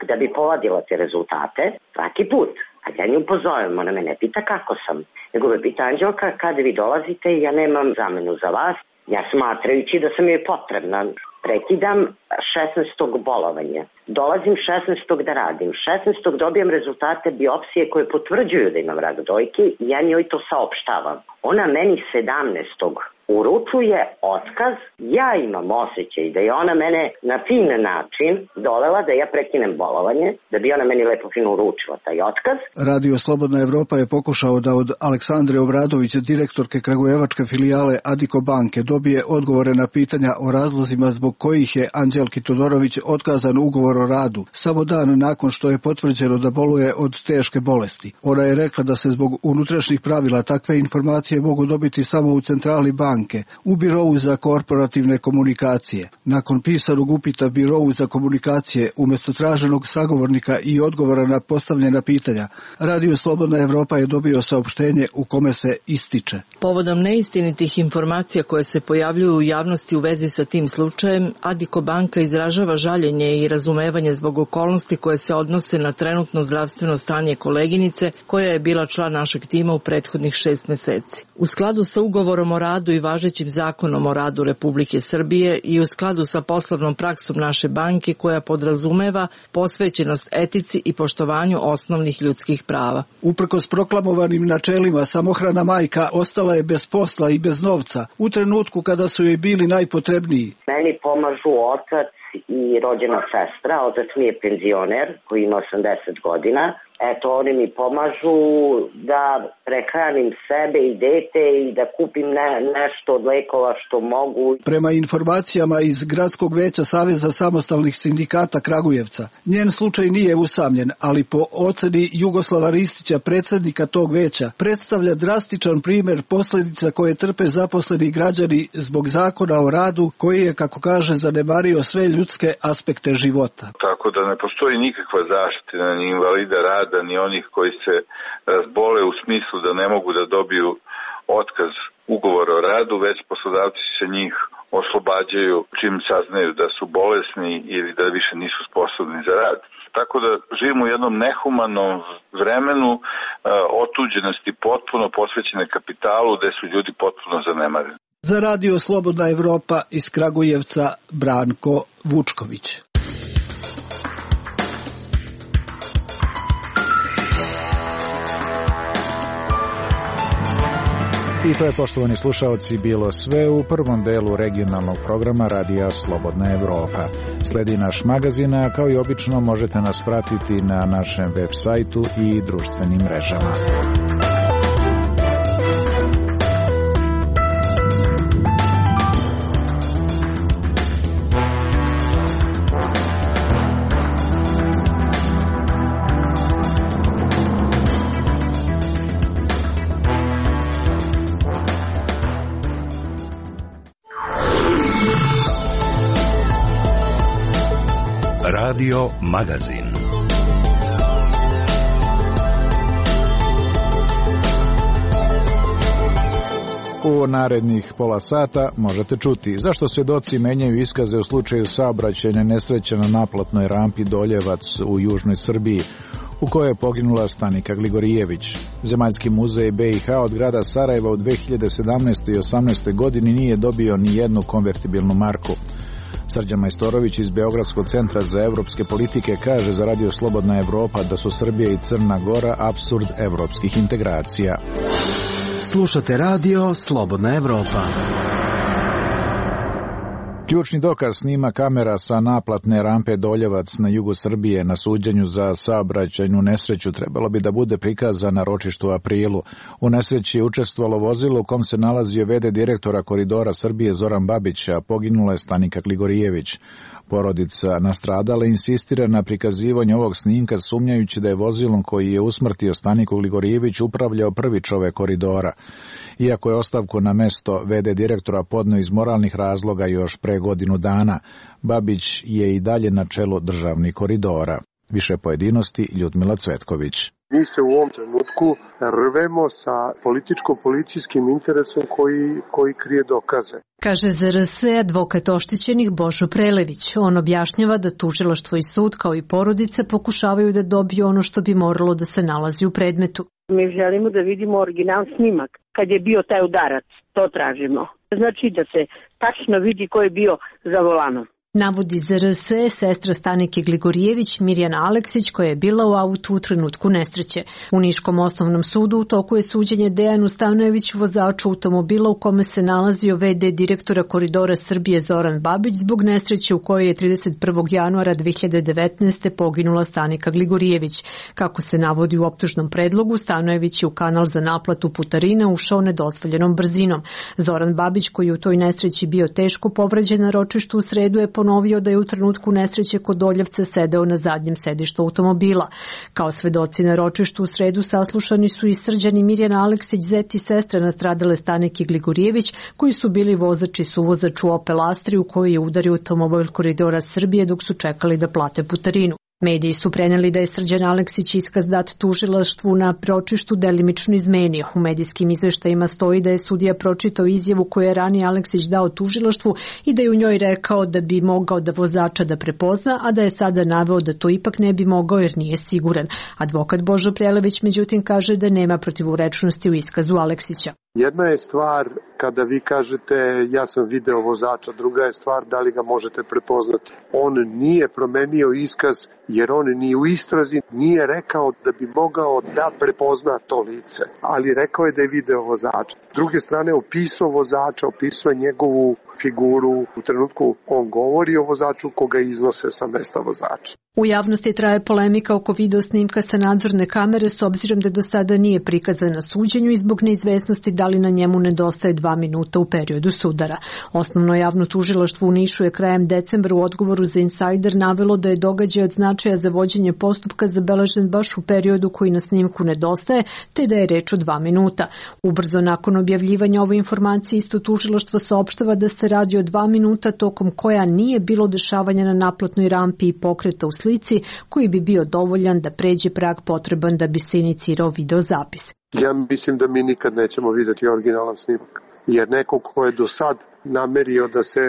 da bi povadila te rezultate svaki put. A ja nju pozovem, ona me ne pita kako sam, nego me pita Anđelka kada vi dolazite, ja nemam zamenu za vas, ja smatrajući da sam joj potrebna. Prekidam 16. bolovanje. Dolazim 16. da radim. 16. dobijam rezultate biopsije koje potvrđuju da imam rak dojke i ja njoj to saopštavam. Ona meni 17. uručuje otkaz, ja imam osjećaj da je ona mene na fin način dovela da ja prekinem bolovanje, da bi ona meni lepo fino uručila taj otkaz. Radio Slobodna Evropa je pokušao da od Aleksandre Obradović, direktorke kragujevačke filijale Adiko banke, dobije odgovore na pitanja o razlozima zbog kojih je Anđelki Todorović otkazan ugovor o radu, samo dan nakon što je potvrđeno da boluje od teške bolesti. Ona je rekla da se zbog unutrašnjih pravila takve informacije mogu dobiti samo u centrali banke, u Birovu za korporativne komunikacije. Nakon pisanog upita Birovu za komunikacije, umjesto traženog sagovornika i odgovora na postavljena pitanja, Radio Slobodna Evropa je dobio saopštenje u kome se ističe. Povodom neistinitih informacija koje se pojavljuju u javnosti u vezi sa tim slučajem, Adiko banka izražava žaljenje i razumevanje zbog okolnosti koje se odnose na trenutno zdravstveno stanje koleginice koja je bila član našeg tima u prethodnih 6 meseci. U skladu sa ugovorom o radu i važećim zakonom o radu Republike Srbije i u skladu sa poslovnom praksom naše banke koja podrazumeva posvećenost etici i poštovanju osnovnih ljudskih prava. Uprkos proklamovanim načelima, samohrana majka ostala je bez posla i bez novca u trenutku kada su joj bili najpotrebniji. Meni pomažu otac i rođena sestra, otac mi je penzioner koji ima 80 godina. Eto, oni mi pomažu da prehranim sebe i dete i da kupim nešto od lekova što mogu. Prema informacijama iz Gradskog veća Saveza samostalnih sindikata Kragujevca, njen slučaj nije usamljen, ali po oceni Jugoslava Ristića, predsjednika tog veća, predstavlja drastičan primjer posljedica koje trpe zaposleni građani zbog zakona o radu koji je, kako kaže, zanemario sve ljudske aspekte života. Tako da ne postoji nikakva zaštita ni invalida rada, ni onih koji se razbole u smislu da ne mogu da dobiju otkaz ugovora o radu, već poslodavci se njih oslobađaju čim saznaju da su bolesni ili da više nisu sposobni za rad. Tako da živimo u jednom nehumanom vremenu otuđenosti potpuno posvećene kapitalu gde su ljudi potpuno zanemareni. Za Radio Slobodna Evropa iz Kragujevca Branko Vučković. I to je, poštovani slušaoci, bilo sve u prvom delu regionalnog programa Radija Slobodna Evropa. Sledi naš magazin, a kao i obično možete nas pratiti na našem web sajtu i društvenim mrežama. Radio Magazin. U narednih pola sata možete čuti zašto svedoci menjaju iskaze u slučaju saobraćajne nesreće na naplatnoj rampi Doljevac u južnoj Srbiji, u kojoj je poginula Stanika Gligorijević. Zemaljski muzej BiH od grada Sarajeva u 2017. i 2018. godini nije dobio ni jednu konvertibilnu marku. Srđan Majstorović iz Beogradskog centra za evropske politike kaže za Radio Slobodna Evropa da su Srbija i Crna Gora apsurd evropskih integracija. Slušate Radio Slobodna Evropa. Ključni dokaz snima kamera sa naplatne rampe Doljevac na jugu Srbije na suđenju za saobraćajnu nesreću trebalo bi da bude prikazan na ročištu u aprilu. U nesreći je učestvovalo vozilo u kom se nalazio v.d. direktora Koridora Srbije Zoran Babić, a poginula je Stanika Gligorijević. Porodica nastradala insistira na prikazivanju ovog snimka sumnjajući da je vozilom koji je usmrtio Staniku Gligorijević upravljao prvi čovek Koridora. Iako je ostavku na mesto v.d. direktora podneo iz moralnih razloga još pre godinu dana, Babić je i dalje na čelu državnih koridora. Više pojedinosti Ljudmila Cvetković. Mi se u ovom trenutku rvemo sa političko-policijskim interesom koji krije dokaze. Kaže za RS advokat oštećenih Božo Prelević. On objašnjava da tužilaštvo i sud kao i porodice pokušavaju da dobiju ono što bi moralo da se nalazi u predmetu. Mi želimo da vidimo original snimak. Kad je bio taj udarac, to tražimo. Znači da se tačno vidi ko je bio za volanom. Navodi za RS sestra Stanike Gligorijević Mirjana Aleksić koja je bila u autu u trenutku nesreće. U Niškom osnovnom sudu u toku je suđenje Dejanu Stanojeviću, vozaču automobila u kome se nalazio v.d. direktora Koridora Srbije Zoran Babić zbog nesreće u kojoj je 31. januara 2019. poginula Stanika Gligorijević. Kako se navodi u optužnom predlogu, Stanojević je u kanal za naplatu putarina ušao nedozvoljenom brzinom. Zoran Babić, koji je u toj nesreći bio teško povređen na ročištu u sredu, je ponovio da je u trenutku nesreće kod Doljevca sedeo na zadnjem sedištu automobila. Kao svedoci na ročištu u sredu saslušani su i Srđan i Mirjana Aleksić, zet i sestra nastradale Stanike Gligorijević, koji su bili vozač i suvozač u Opel Astri u kojoj je udario automobil Koridora Srbije dok su čekali da plate putarinu. Mediji su preneli da je Srđan Aleksić iskaz dat tužilaštvu na ročištu delimično izmenio. U medijskim izveštajima stoji da je sudija pročitao izjavu koju je ranije Aleksić dao tužilaštvu i da je u njoj rekao da bi mogao da vozača da prepozna, a da je sada naveo da to ipak ne bi mogao jer nije siguran. Advokat Božo Prelević međutim kaže da nema protivurečnosti u iskazu Aleksića. Jedna je stvar kada vi kažete ja sam video vozača, druga je stvar da li ga možete prepoznati. On nije promenio iskaz jer on ni u istrazi nije rekao da bi mogao da prepozna to lice, ali rekao je da je video vozača. S druge strane opisao vozača, opisao njegovu figuru, u trenutku on govori o vozaču koga iznose sa mesta vozača. U javnosti traje polemika oko video snimka sa nadzorne kamere s obzirom da do sada nije prikazan na suđenju i zbog neizvesnosti da li na njemu nedostaje 2 minuta u periodu sudara. Osnovno javno tužilaštvo u Nišu je krajem decembra u odgovoru za Insider navelo da je događaj od značaja za vođenje postupka zabeležen baš u periodu koji na snimku nedostaje, te da je reč o 2 minuta. Ubrzo nakon objavljivanja ove informacije isto tužilaštvo saopštava da se radi o 2 minuta tokom koja nije bilo dešavanja na naplatnoj rampi i pokreta u slici koji bi bio dovoljan da pređe prag potreban da bi se inicirao videozapis. Ja mislim da mi nikad nećemo vidjeti originalan snimak, jer neko ko je do sad namerio da se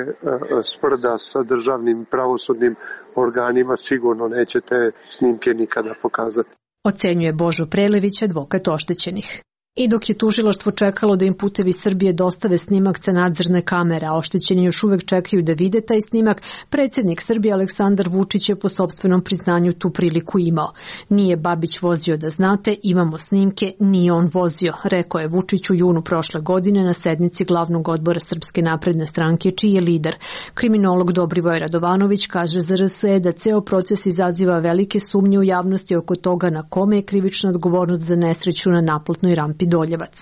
sprda sa državnim pravosudnim organima sigurno neće te snimke nikada pokazati. Ocenjuje Božo Prelević, advokat oštećenih. I dok je tužilaštvo čekalo da im Putevi Srbije dostave snimak sa nadzorne kamere, a oštećeni još uvek čekaju da vide taj snimak, predsjednik Srbije Aleksandar Vučić je po sopstvenom priznanju tu priliku imao. Nije Babić vozio da znate, imamo snimke, nije on vozio, rekao je Vučić u junu prošle godine na sednici glavnog odbora Srpske napredne stranke, čiji je lider. Kriminolog Dobrivoje Radovanović kaže za RS da ceo proces izaziva velike sumnje u javnosti oko toga na kome je krivična odgovornost za nesreću na naplatnoj rampi Doljevac.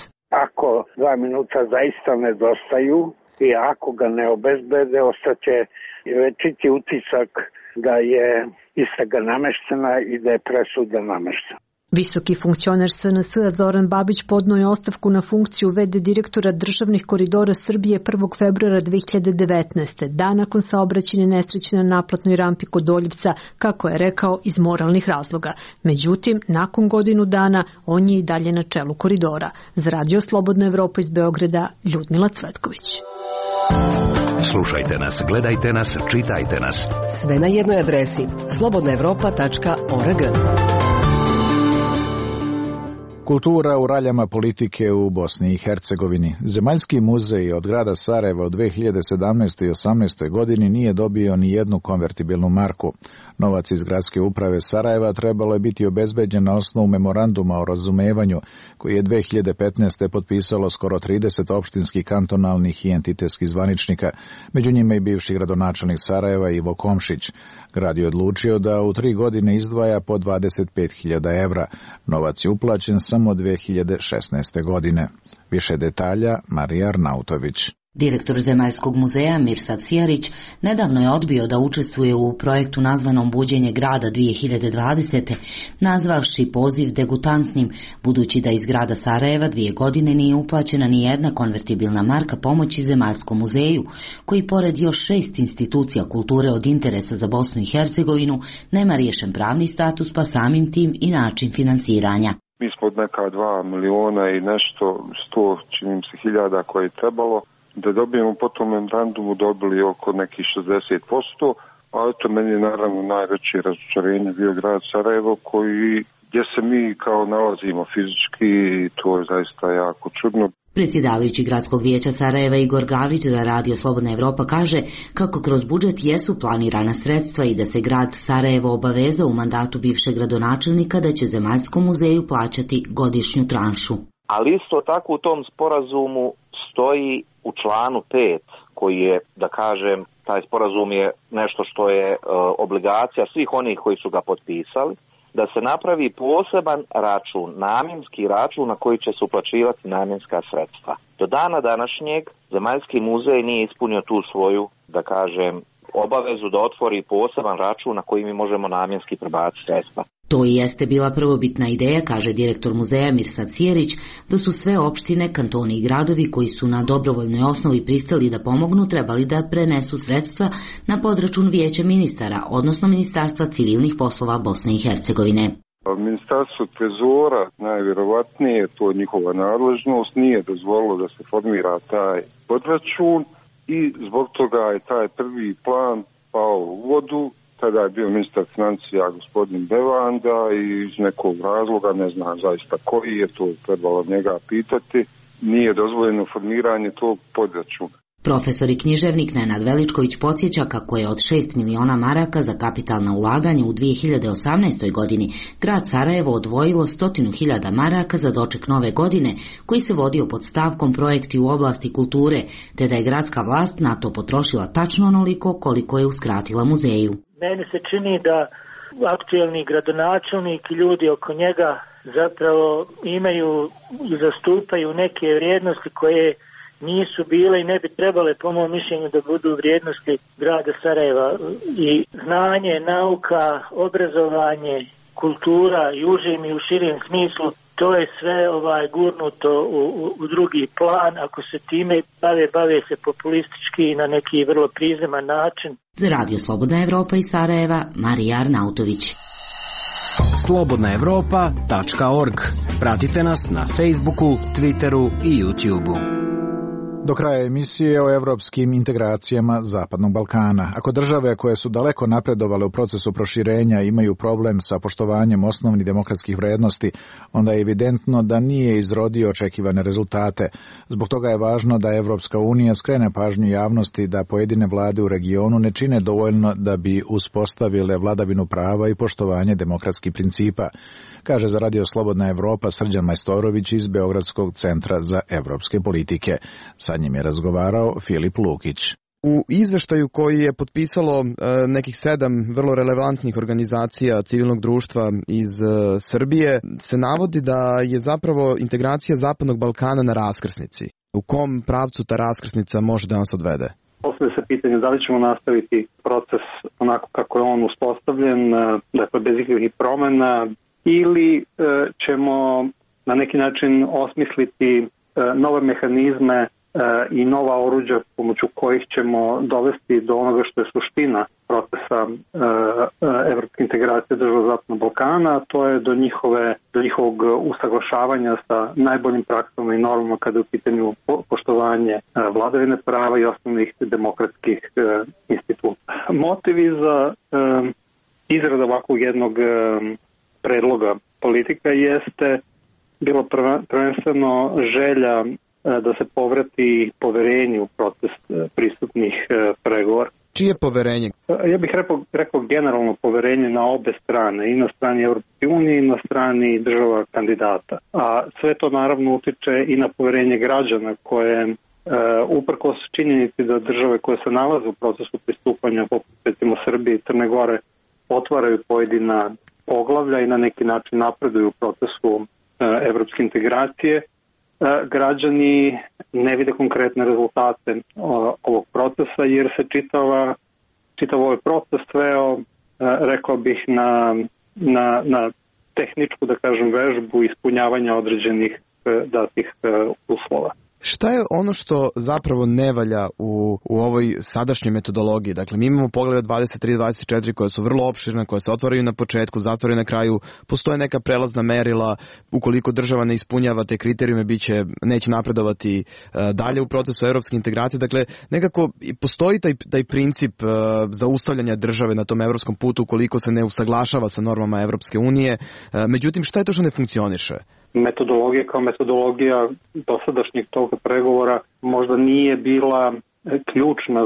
Ako 2 minuta zaista nedostaju i ako ga ne obezbede, ostaće večiti utisak da je istraga nameštena i da je presuda nameštena. Visoki funkcioner SNS Zoran Babić podneo je ostavku na funkciju v.d. direktora državnih koridora Srbije 1. februara 2019. dan nakon saobraćajne nesreće na naplatnoj rampi kod Doljevca, kako je rekao, iz moralnih razloga. Međutim, nakon godinu dana on je i dalje na čelu koridora. Za Radio Slobodna Evropa iz Beograda, Ljudmila Cvetković. Slušajte nas, gledajte nas, čitajte nas. Sve na jednoj adresi slobodnaevropa.org. Kultura u raljama politike u Bosni i Hercegovini. Zemaljski muzej od grada Sarajeva u 2017. i 2018. godini nije dobio ni jednu konvertibilnu marku. Novac iz gradske uprave Sarajeva trebalo je biti obezbeđen na osnovu memoranduma o razumevanju koji je 2015. potpisalo skoro 30 opštinskih, kantonalnih i entitetskih zvaničnika, među njima i bivši gradonačelnik Sarajeva Ivo Komšić. Grad je odlučio da u 3 godine izdvaja po 25.000 evra. Novac je uplaćen samo 2016. godine. Više detalja Marija Arnautović. Direktor Zemaljskog muzeja Mirsad Sijarić nedavno je odbio da učestvuje u projektu nazvanom Buđenje grada 2020. nazvavši poziv degutantnim, budući da iz grada Sarajeva 2 godine nije uplaćena ni jedna konvertibilna marka pomoći Zemaljskom muzeju, koji pored još 6 institucija kulture od interesa za Bosnu i Hercegovinu nema riješen pravni status, pa samim tim i način finansiranja. Mi smo od neka 2 miliona i nešto, 100 čini se hiljada koje je trebalo da dobijemo po tom memorandumu, dobili oko nekih 60%, a eto meni je naravno najveće razočarenje bio grad Sarajevo, gdje se mi kao nalazimo fizički, i to je zaista jako čudno. Predsjedavajući gradskog vijeća Sarajeva Igor Gavrić za Radio Slobodna Evropa kaže kako kroz budžet jesu planirana sredstva i da se grad Sarajevo obavezao u mandatu bivšeg gradonačelnika da će Zemaljskom muzeju plaćati godišnju tranšu. Ali isto tako u tom sporazumu stoji u članu 5 koji je, da kažem, taj sporazum je nešto što je obligacija svih onih koji su ga potpisali, da se napravi poseban račun, namjenski račun na koji će se uplaćivati namjenska sredstva. Do dana današnjeg Zemaljski muzej nije ispunio tu svoju, da kažem, obavezu da otvori poseban račun na koji mi možemo namjenski prebaciti sredstva. To i jeste bila prvobitna ideja, kaže direktor muzeja Mirsad Sijerić, da su sve opštine, kantoni i gradovi koji su na dobrovoljnoj osnovi pristali da pomognu trebali da prenesu sredstva na podračun vijeća ministara, odnosno Ministarstva civilnih poslova Bosne i Hercegovine. Ministarstvo trezora, najvjerovatnije, to je njihova nadležnost, nije dozvolilo da se formira taj podračun i zbog toga je taj prvi plan pao u vodu. Tada je bio ministar financija gospodin Bevanda i iz nekog razloga, ne znam zaista koji je, to trebalo njega pitati, nije dozvoljeno formiranje tog podračuna. Profesor i književnik Nenad Veličković podsjeća kako je od 6 miliona maraka za kapitalna ulaganja u 2018. godini grad Sarajevo odvojilo 100.000 maraka za doček nove godine, koji se vodio pod stavkom projekti u oblasti kulture, te da je gradska vlast na to potrošila tačno onoliko koliko je uskratila muzeju. Meni se čini da aktuelni gradonačelnik i ljudi oko njega zapravo imaju i zastupaju neke vrijednosti koje nisu bile i ne bi trebale, po mom mišljenju, da budu vrijednosti grada Sarajeva. I znanje, nauka, obrazovanje, kultura i užim i u širijem smislu, to je sve gurnuto u drugi plan. Ako se time bave se populistički na neki vrlo prizeman način. Za Radio Slobodna Evropa iz Sarajeva, Marija Arnautović. slobodnaevropa.org. Pratite nas na Facebooku, Twitteru i YouTubeu. Do kraja emisije o evropskim integracijama Zapadnog Balkana. Ako države koje su daleko napredovale u procesu proširenja imaju problem sa poštovanjem osnovnih demokratskih vrednosti, onda je evidentno da nije izrodio očekivane rezultate. Zbog toga je važno da Evropska unija skrene pažnju javnosti da pojedine vlade u regionu ne čine dovoljno da bi uspostavile vladavinu prava i poštovanje demokratskih principa, kaže za Radio Slobodna Evropa Srđan Majstorović iz Beogradskog centra za evropske politike. Sa njim je razgovarao Filip Lukić. U izveštaju koji je potpisalo nekih 7 vrlo relevantnih organizacija civilnog društva iz Srbije se navodi da je zapravo integracija Zapadnog Balkana na raskrsnici. U kom pravcu ta raskrsnica može da nas odvede? Postavlja se pitanje da li ćemo nastaviti proces onako kako je on uspostavljen, dakle bez ikakvih promena, ili ćemo na neki način osmisliti nove mehanizme i nova oruđa pomoću kojih ćemo dovesti do onoga što je suština procesa evropske integracije država Zapadnog Balkana, a to je do njihovog usaglašavanja sa najboljim praksama i normama kada je u pitanju poštovanje vladavine prava i osnovnih demokratskih instituta. Motivi za izrada ovakvog jednog predloga politika jeste bilo prvenstveno želja da se povrati poverenje u proces pristupnih pregovora. Čije poverenje? Ja bih rekao generalno poverenje na obe strane, i na strani Evropske unije i na strani država kandidata. A sve to naravno utiče i na poverenje građana koje uprkos činjenici da države koje se nalaze u procesu pristupanja, poput recimo Srbije i Crne Gore, otvaraju pojedina poglavlja i na neki način napreduju u procesu evropske integracije, građani ne vide konkretne rezultate ovog procesa jer se čitav ovaj proces sveo, rekao bih, na tehničku, da kažem, vežbu ispunjavanja određenih datih uslova. Šta je ono što zapravo ne valja u ovoj sadašnjoj metodologiji? Dakle, mi imamo poglede 23-24 koje su vrlo opširne, koje se otvaraju na početku, zatvaraju na kraju, postoje neka prelazna merila, ukoliko država ne ispunjava te kriterijume, neće napredovati dalje u procesu evropske integracije. Dakle, nekako postoji taj princip zaustavljanja države na tom evropskom putu ukoliko se ne usaglašava sa normama Evropske unije. Međutim, šta je to što ne funkcioniše? Metodologija kao metodologija dosadašnjih toga pregovora možda nije bila ključna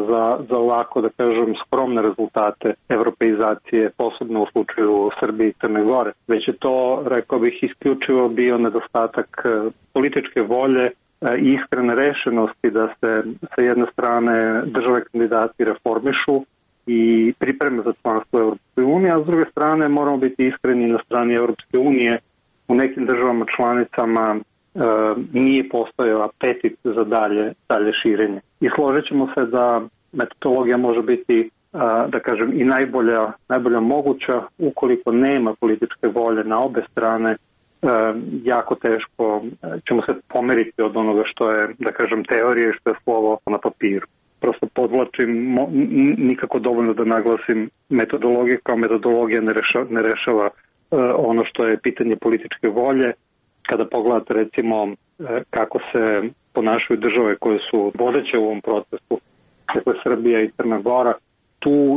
za ovako, da kažem, skromne rezultate evropeizacije, posebno u slučaju Srbije i Crne Gore. Već je to, rekao bih, isključivo bio nedostatak političke volje i iskrene rešenosti da se sa jedne strane države kandidati reformišu i pripreme za članstvo Evropske unije, a s druge strane moramo biti iskreni na strani Evropske unije. U nekim državama članicama nije postojao apetit za dalje širenje. I složit ćemo se da metodologija može biti, da kažem, i najbolja moguća. Ukoliko nema političke volje na obe strane, jako teško ćemo se pomeriti od onoga što je, da kažem, teorija i što je slovo na papiru. Prosto podvlačim, nikako dovoljno da naglasim, metodologija kao metodologija ne rešava ono što je pitanje političke volje. Kada pogledate recimo kako se ponašaju države koje su vodeće u ovom procesu, dakle Srbija i Crna Gora,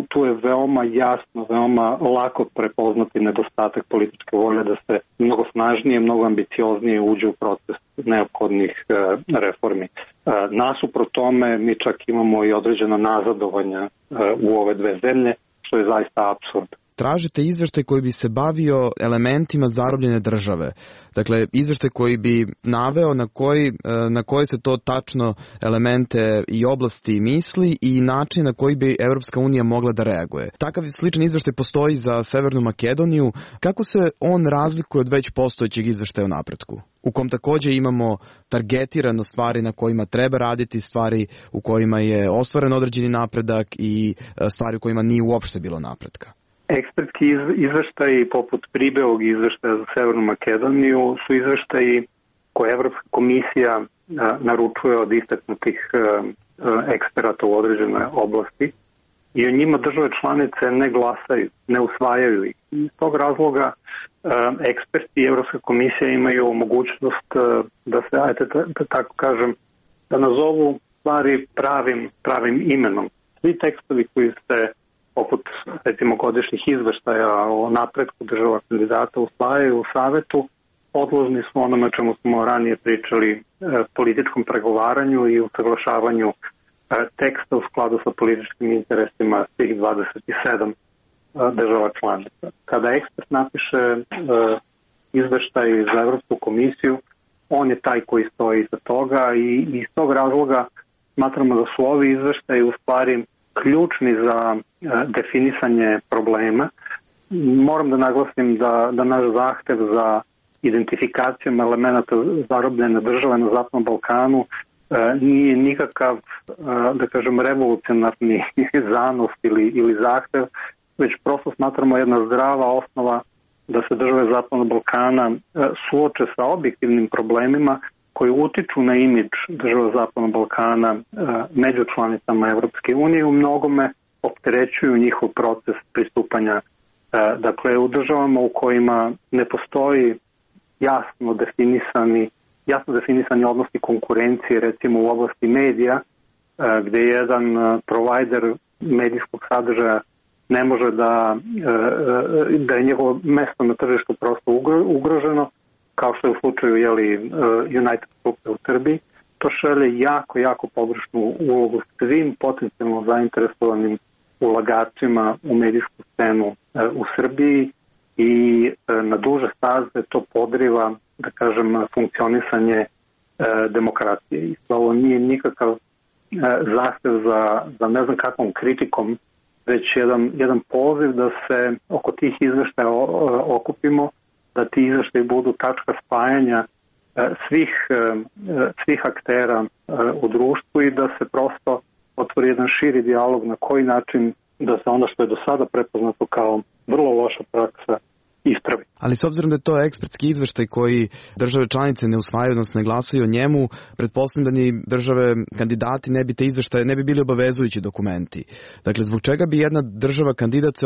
tu je veoma jasno, veoma lako prepoznati nedostatak političke volje da se mnogo snažnije, mnogo ambicioznije uđe u proces neophodnih reformi. Nasuprot tome mi čak imamo i određena nazadovanja u ove dve zemlje, što je zaista apsurd. Tražite izveštaj koji bi se bavio elementima zarobljene države. Dakle, izveštaj koji bi naveo na koje se to tačno elemente i oblasti misli i način na koji bi Evropska unija mogla da reaguje. Takav sličan izveštaj postoji za Severnu Makedoniju. Kako se on razlikuje od već postojećeg izveštaja o napretku? U kom takođe imamo targetirano stvari na kojima treba raditi, stvari u kojima je ostvaren određeni napredak i stvari u kojima nije uopšte bilo napretka. Ekspertski izveštaji poput Pribeog izveštaja za Severnu Makedoniju su izveštaji koje Evropska komisija naručuje od istaknutih eksperata u određenoj oblasti i o njima države članice ne glasaju, ne usvajaju ih. Iz tog razloga eksperti i Evropska komisija imaju mogućnost da se, da tako kažem, da nazovu stvari pravim imenom. Svi tekstovi koji se poput recimo godišnjih izveštaja o napretku država kandidata usvajaju u savetu, podložni su onome čemu smo ranije pričali, političkom pregovaranju i usaglašavanju teksta u skladu sa političkim interesima svih 27 država članica. Kada ekspert napiše izveštaj za Evropsku komisiju, on je taj koji stoji iza toga i iz tog razloga smatramo da su ovi izveštaji u stvari ključni za definisanje problema. Moram da naglasim da naš zahtev za identifikacijom elemenata zarobljene države na Zapadnom Balkanu nije nikakav, da kažem, revolucionarni zanos ili zahtev, već prosto smatramo jedna zdrava osnova da se države Zapadnog Balkana suoče sa objektivnim problemima koji utiču na imidž država Zapadnog Balkana među članicama Evropske unije, u mnogome opterećuju njihov proces pristupanja. Dakle, u državama u kojima ne postoji jasno definisani odnosi konkurencije, recimo u oblasti medija, gde jedan provajder medijskog sadržaja ne može da je njegovo mesto na tržištu prosto ugroženo, kao što je u slučaju United Grupe u Srbiji, to šalje jako pogrešnu ulogu svim potencijalno zainteresovanim ulagačima u medijsku scenu u Srbiji i na duže staze to podriva, da kažem, funkcionisanje demokratije. I ovo nije nikakav zahtev za ne znam kakvom kritikom, već jedan poziv da se oko tih izveštaja okupimo, da ti izveštaji budu tačka spajanja svih aktera u društvu i da se prosto otvori jedan širi dijalog na koji način da se ono što je do sada prepoznato kao vrlo loša praksa ispravi. Ali s obzirom da je to ekspertski izveštaj koji države članice ne usvajaju, odnosno ne glasaju o njemu, pretpostavljam da ni države kandidati ne bi te izveštaje, ne bi bili obavezujući dokumenti. Dakle, zbog čega bi jedna država kandidat se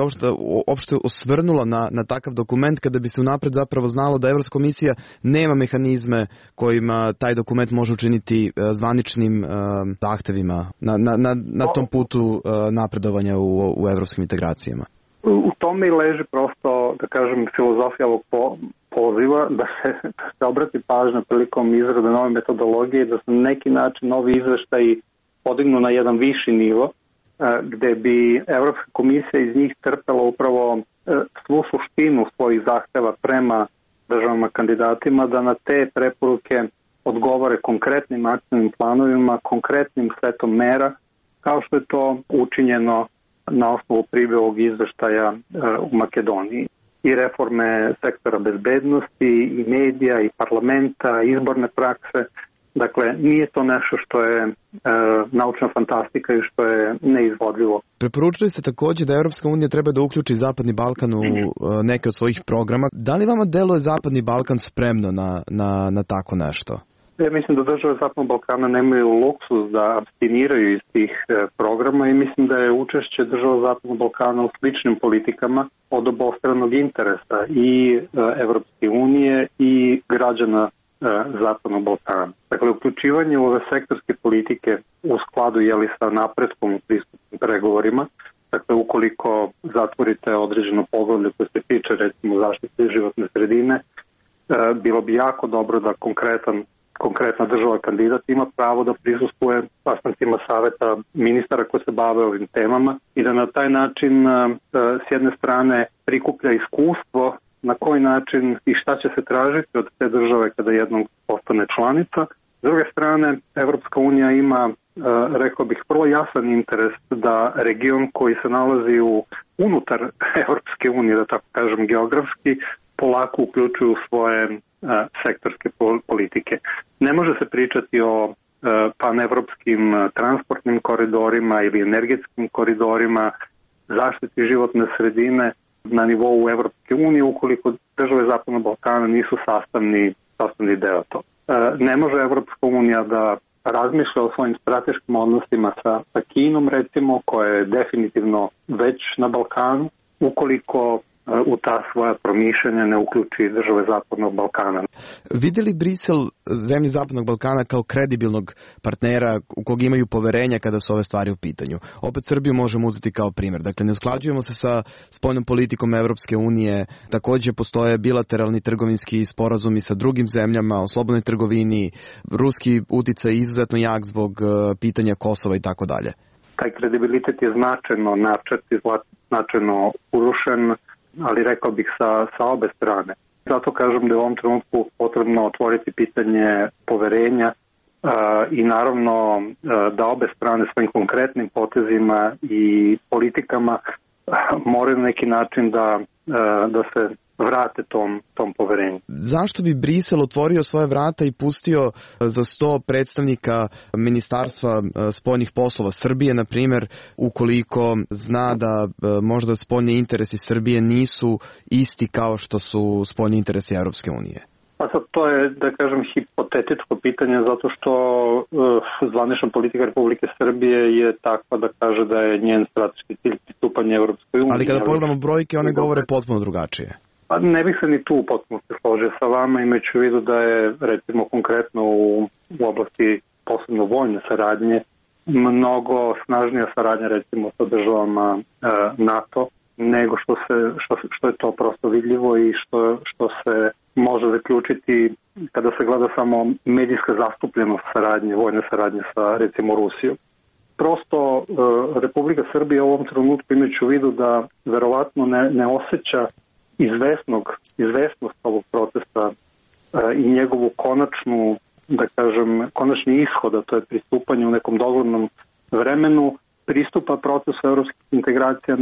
uopšte osvrnula na takav dokument kada bi se unapred zapravo znalo da Evropska komisija nema mehanizme kojima taj dokument može učiniti zvaničnim zahtevima na tom putu napredovanja u evropskim integracijama? U tome i leži prosto, da kažem, filozofija ovog poziva da se obrati pažnja prilikom izrade nove metodologije, da se na neki način novi izveštaji podignu na jedan viši nivo, gde bi Evropska komisija iz njih crpela upravo svu suštinu svojih zahteva prema državama kandidatima, da na te preporuke odgovore konkretnim akcijnim planovima, konkretnim setom mera, kao što je to učinjeno na osnovu Pribijevog izveštaja u Makedoniji. I reforme sektora bezbednosti, i medija, i parlamenta, izborne prakse. Dakle, nije to nešto što je naučna fantastika i što je neizvodljivo. Preporučili ste također da Evropska unija treba da uključi Zapadni Balkan u neke od svojih programa. Da li vama deluje Zapadni Balkan spremno na tako nešto? Ja mislim da države Zapadnog Balkana nemaju luksus da abstiniraju iz tih programa i mislim da je učešće država Zapadnog Balkana u sličnim politikama od obostranog interesa i Evropske unije i građana Zapadnog Balkana. Dakle, uključivanje u ove sektorske politike u skladu sa napretkom u pristupnim pregovorima, dakle, ukoliko zatvorite određeno poglavlje koje se tiče recimo zaštite životne sredine, bilo bi jako dobro da konkretna država kandidat ima pravo da prisustvuje sastancima saveta ministara koji se bave ovim temama i da na taj način s jedne strane prikuplja iskustvo na koji način i šta će se tražiti od te države kada jednom postane članica. S druge strane, Evropska unija ima, rekao bih, vrlo jasan interes da region koji se nalazi unutar Evropske unije, da tako kažem geografski, polako uključuju svoje sektorske politike. Ne može se pričati o panevropskim transportnim koridorima ili energetskim koridorima, zaštiti životne sredine na nivou Evropske unije ukoliko države Zapadnog Balkana nisu sastavni deo to. Ne može Evropska unija da razmišlja o svojim strateškim odnosima sa Kinom, recimo, koja je definitivno već na Balkanu, ukoliko u ta svoja promišljanja ne uključi države Zapadnog Balkana. Vide li Brisel zemlje Zapadnog Balkana kao kredibilnog partnera u kog imaju poverenja kada su ove stvari u pitanju? Opet Srbiju možemo uzeti kao primjer. Dakle, ne usklađujemo se sa spoljnom politikom Evropske unije, također postoje bilateralni trgovinski sporazumi sa drugim zemljama o slobodnoj trgovini, ruski uticaj izuzetno jak zbog pitanja Kosova i tako dalje. Taj kredibilitet je značajno načet i značajno urušen, ali rekao bih sa obe strane. Zato kažem da je u ovom trenutku potrebno otvoriti pitanje poverenja i naravno da obe strane svojim konkretnim potezima i politikama moraju na neki način da se vrate tom poverenju. Zašto bi Brisel otvorio svoje vrata i pustio za 100 predstavnika Ministarstva spoljnih poslova Srbije, na primjer, ukoliko zna da možda spoljni interesi Srbije nisu isti kao što su spoljni interesi Europske unije? Pa sad to je, da kažem, hipotetičko pitanje, zato što zvanična politika Republike Srbije je takva da kaže da je njen strateški cilj pristupanje Europskoj uniji. Ali kada pogledamo brojke, one govore potpuno drugačije. Pa ne bih se ni tu potpuno se složio sa vama, imajući u vidu da je, recimo, konkretno u oblasti posebno vojne saradnje mnogo snažnija saradnja, recimo, sa državama NATO, nego što je to prosto vidljivo i što se može zaključiti kada se gleda samo medijska zastupljenost saradnje, vojne saradnje sa, recimo, Rusijom. Prosto Republika Srbija u ovom trenutku, imajući u vidu da verovatno ne osjeća izvesnost ovog procesa i njegovu konačni ishod, a to je pristupanje u nekom doglednom vremenu, pristupa procesu evropskih integracija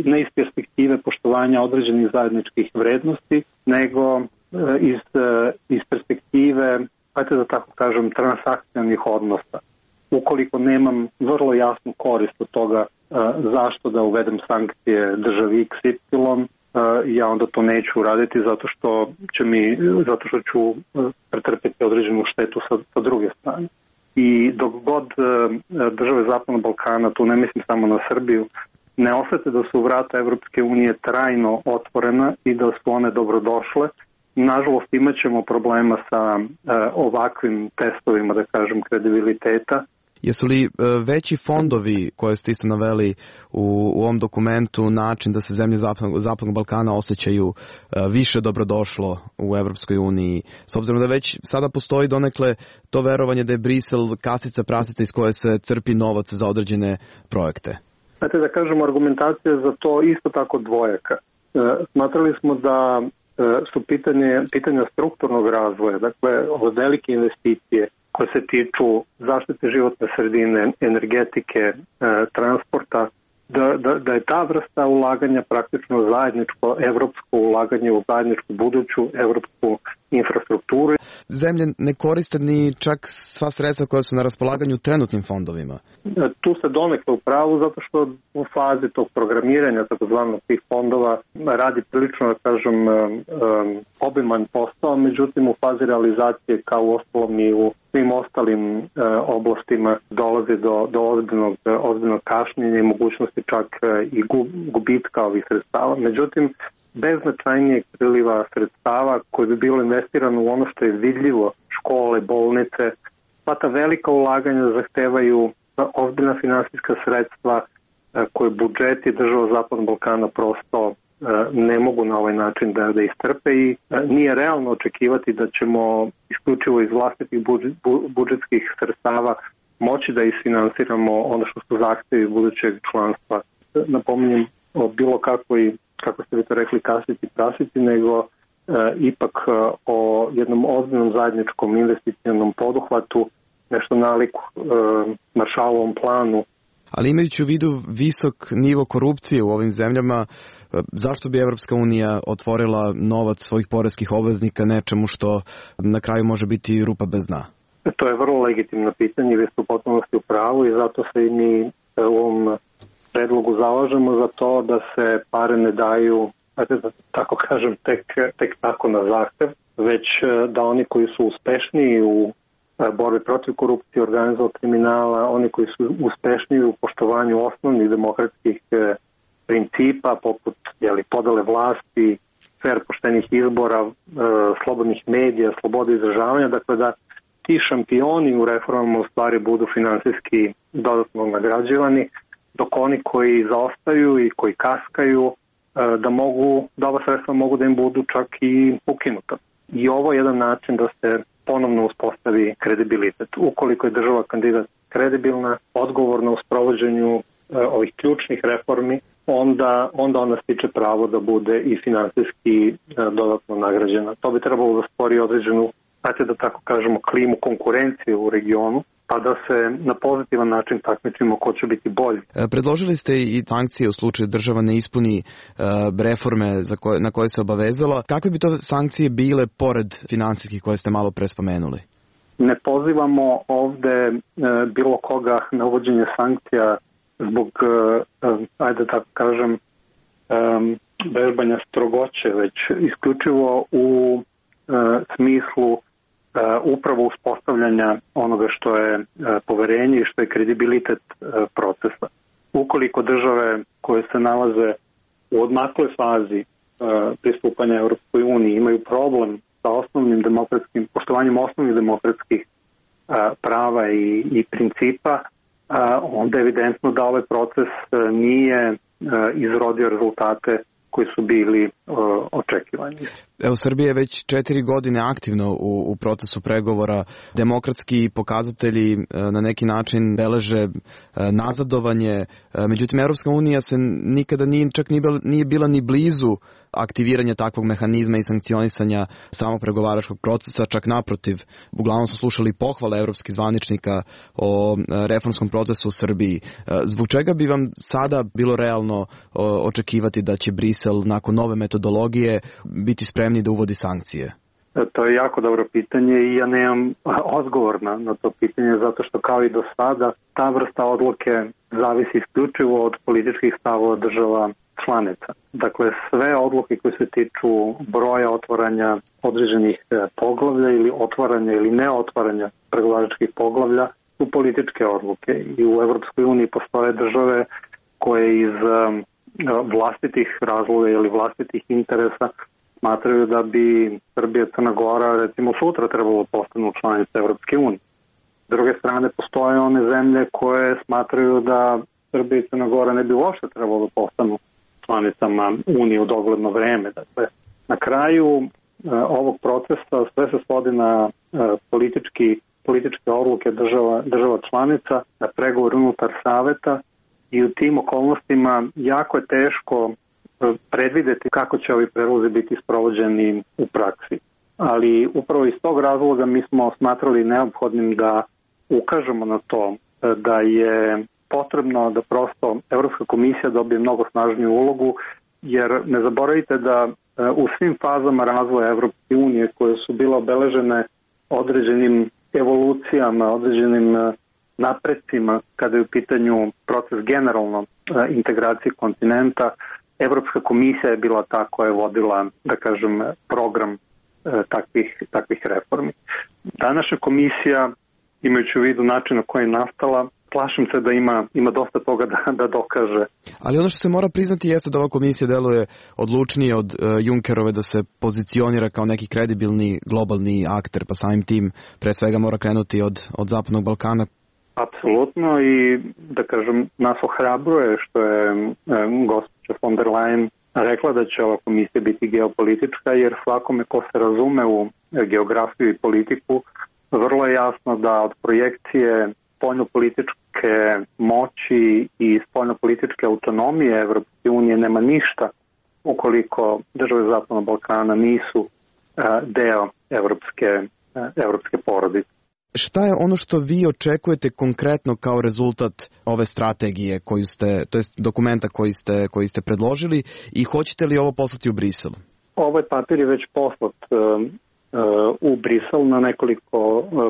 ne iz perspektive poštovanja određenih zajedničkih vrednosti, nego iz perspektive, ajte da tako kažem, transakcionalnih odnosa. Ukoliko nemam vrlo jasnu korist od toga zašto da uvedem sankcije državi XY, ja onda to neću uraditi zato što ću pretrpeti određenu štetu sa druge strane. I dok god države Zapadnog Balkana, tu ne mislim samo na Srbiju, ne osete da su vrata Evropske unije trajno otvorena i da su one dobrodošle, nažalost imat ćemo problema sa ovakvim testovima, da kažem, kredibiliteta. Jesu li veći fondovi koje ste isto naveli u ovom dokumentu način da se zemlje Zapadnog Balkana osjećaju više dobrodošlo u Evropskoj uniji, s obzirom da već sada postoji donekle to verovanje da je Brisel kasica prasica iz koje se crpi novac za određene projekte? Znate, da kažemo, argumentacija za to isto tako dvojaka. Smatrali smo da su pitanja strukturnog razvoja, dakle velike investicije koje se tiču zaštite životne sredine, energetike, transporta, da je ta vrsta ulaganja praktično zajedničko evropsko ulaganje u zajedničku buduću evropsku infrastrukturu. Zemlje ne koriste ni čak sva sredstva koja su na raspolaganju trenutnim fondovima. Tu se donekle u pravu, zato što u fazi tog programiranja takozvanog tih fondova radi prilično, da kažem, obiman posao, međutim u fazi realizacije kao u ostalom i u svim ostalim oblastima dolazi do ozbiljnog kašnjenja i mogućnosti čak i gubitka ovih sredstava. Međutim, bez značajnijeg priliva sredstava koje bi bilo investirano u ono što je vidljivo, škole, bolnice, pa ta velika ulaganja zahtevaju ozbiljna finansijska sredstva koje budžeti država Zapadnog Balkana prosto ne mogu na ovaj način da istrpe i nije realno očekivati da ćemo isključivo iz vlastitih budžetskih sredstava moći da isfinansiramo ono što su zahtevi budućeg članstva. Napominjem o bilo kakvoj, kako ste vi to rekli, kasici prasici, nego ipak o jednom ozbiljnom zajedničkom investicionom poduhvatu, nešto nalik Maršalovom planu. Ali imajući u vidu visok nivo korupcije u ovim zemljama, zašto bi Evropska unija otvorila novac svojih poreskih obveznika nečemu što na kraju može biti rupa bez dna? To je vrlo legitimno pitanje, vi ste u potpunosti u pravu i zato se i mi u ovom predlogu zalažemo za to da se pare ne daju, da tako kažem, tek tako na zahtev, već da oni koji su uspešniji u borbi protiv korupcije, organizovanog kriminala, oni koji su uspešniji u poštovanju osnovnih demokratskih principa, poput podele vlasti, fer poštenih izbora, slobodnih medija, slobode izražavanja, dakle da ti šampioni u reformama u stvari budu finansijski dodatno nagrađivani, dok oni koji zaostaju i koji kaskaju, da ova sredstva mogu da im budu čak i ukinuta. I ovo je jedan način da se ponovno uspostavi kredibilitet. Ukoliko je država kandidat kredibilna, odgovorna u sprovođenju ovih ključnih reformi, onda ona stiče pravo da bude i finansijski dodatno nagrađena. To bi trebalo da stvori određenu, da tako kažemo, klimu konkurencije u regionu, pa da se na pozitivan način takmičimo ko će biti bolji. Predložili ste i sankcije u slučaju država ne ispuni reforme na koje se obavezala. Kakve bi to sankcije bile pored finansijskih koje ste malo pre spomenuli? Ne pozivamo ovde bilo koga na uvođenje sankcija zbog, ajde tako kažem, vežbanja strogoće, već isključivo u smislu upravo uspostavljanja onoga što je poverenje i što je kredibilitet procesa. Ukoliko države koje se nalaze u odmakloj fazi pristupanja Europskoj uniji imaju problem sa poštovanjem osnovnih demokratskih prava i principa, onda je evidentno da ovaj proces nije izrodio rezultate koji su bili očekivani. Evo, Srbija je već 4 godine aktivno u procesu pregovora. Demokratski pokazatelji na neki način beleže nazadovanje. Međutim, Evropska unija se nikada nije bila ni blizu aktiviranja takvog mehanizma i sankcionisanja samog pregovaračkog procesa, čak naprotiv. Uglavnom su slušali pohvale evropskih zvaničnika o reformskom procesu u Srbiji. Zbog čega bi vam sada bilo realno očekivati da će Brisel nakon nove metodologije biti spremni da uvodi sankcije? To je jako dobro pitanje i ja nemam odgovor na to pitanje, zato što kao i do sada ta vrsta odluke zavisi isključivo od političkih stavova država članica. Dakle, sve odluke koje se tiču broja otvaranja određenih poglavlja ili otvaranja ili neotvaranja pregovaračkih poglavlja su političke odluke i u Evropskoj uniji postoje države koje iz vlastitih razloga ili vlastitih interesa smatraju da bi Srbija i Crna Gora recimo sutra trebalo postanu članice Evropske unije. S druge strane, postoje one zemlje koje smatraju da Srbija i Crna Gora ne bi uopšte trebalo da postanu članicama Unije u dogledno vreme. Dakle, na kraju ovog procesa sve se svodi na političke odluke država članica, na pregovor unutar saveta i u tim okolnostima jako je teško predvideti kako će ovi predlozi biti sprovođeni u praksi. Ali upravo iz tog razloga mi smo smatrali neophodnim da ukažemo na to da je potrebno da prosto Evropska komisija dobije mnogo snažniju ulogu, jer ne zaboravite da u svim fazama razvoja Evropske unije koje su bile obeležene određenim evolucijama, određenim napredcima kada je u pitanju proces generalno integracije kontinenta, Evropska komisija je bila ta koja je vodila, da kažem, program takvih reformi. Današnja komisija, imajući u vidu način na koji je nastala, plašim se da ima dosta toga da dokaže. Ali ono što se mora priznati jeste da ova komisija deluje odlučnije od Junckerove da se pozicionira kao neki kredibilni globalni akter, pa samim tim pre svega mora krenuti od Zapadnog Balkana. Apsolutno, i da kažem, nas ohrabruje što je gospođa von der Leyen rekla da će ova komisija biti geopolitička, jer svakome ko se razume u geografiju i politiku, vrlo je jasno da od projekcije spoljnopolitičke moći i spoljnopolitičke autonomije Evropske unije nema ništa ukoliko države Zapadnog Balkana nisu deo evropske porodice. Šta je ono što vi očekujete konkretno kao rezultat ove strategije koju ste, to jest dokumenta koji ste predložili, i hoćete li ovo poslati u Brisel? Ovaj papir je već poslat u Brisel na nekoliko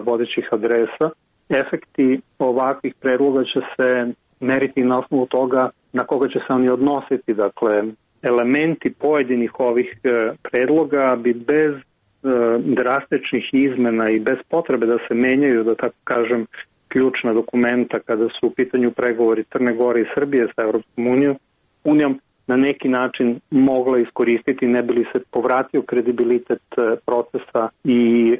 vodećih adresa. Efekti ovakvih predloga će se meriti na osnovu toga na koga će se oni odnositi. Dakle, elementi pojedinih ovih predloga bi bez drastičnih izmena i bez potrebe da se menjaju, da tako kažem, ključna dokumenta kada su u pitanju pregovori Crne Gore i Srbije sa Evropskom unijom, na neki način mogla iskoristiti, ne bi li se povratio kredibilitet procesa i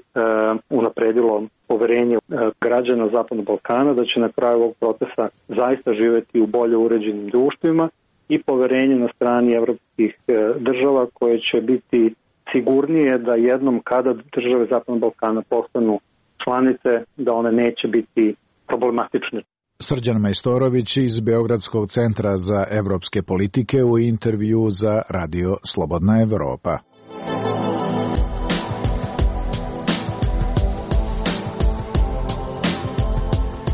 unapredilo poverenje građana Zapadnog Balkana, da će na kraju ovog procesa zaista živeti u bolje uređenim društvima, i poverenje na strani evropskih država koje će biti sigurnije da jednom kada države Zapadnog Balkana postanu članice, da one neće biti problematične. Srđan Majstorović iz Beogradskog centra za evropske politike u intervju za Radio Slobodna Evropa.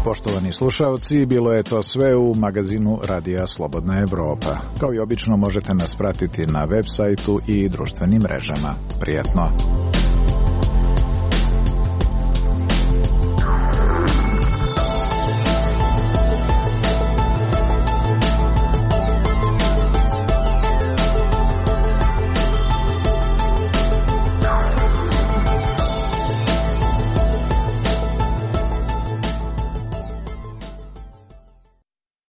Poštovani slušalci, bilo je to sve u magazinu Radija Slobodna Evropa. Kao i obično možete nas pratiti na web sajtu i društvenim mrežama. Prijetno!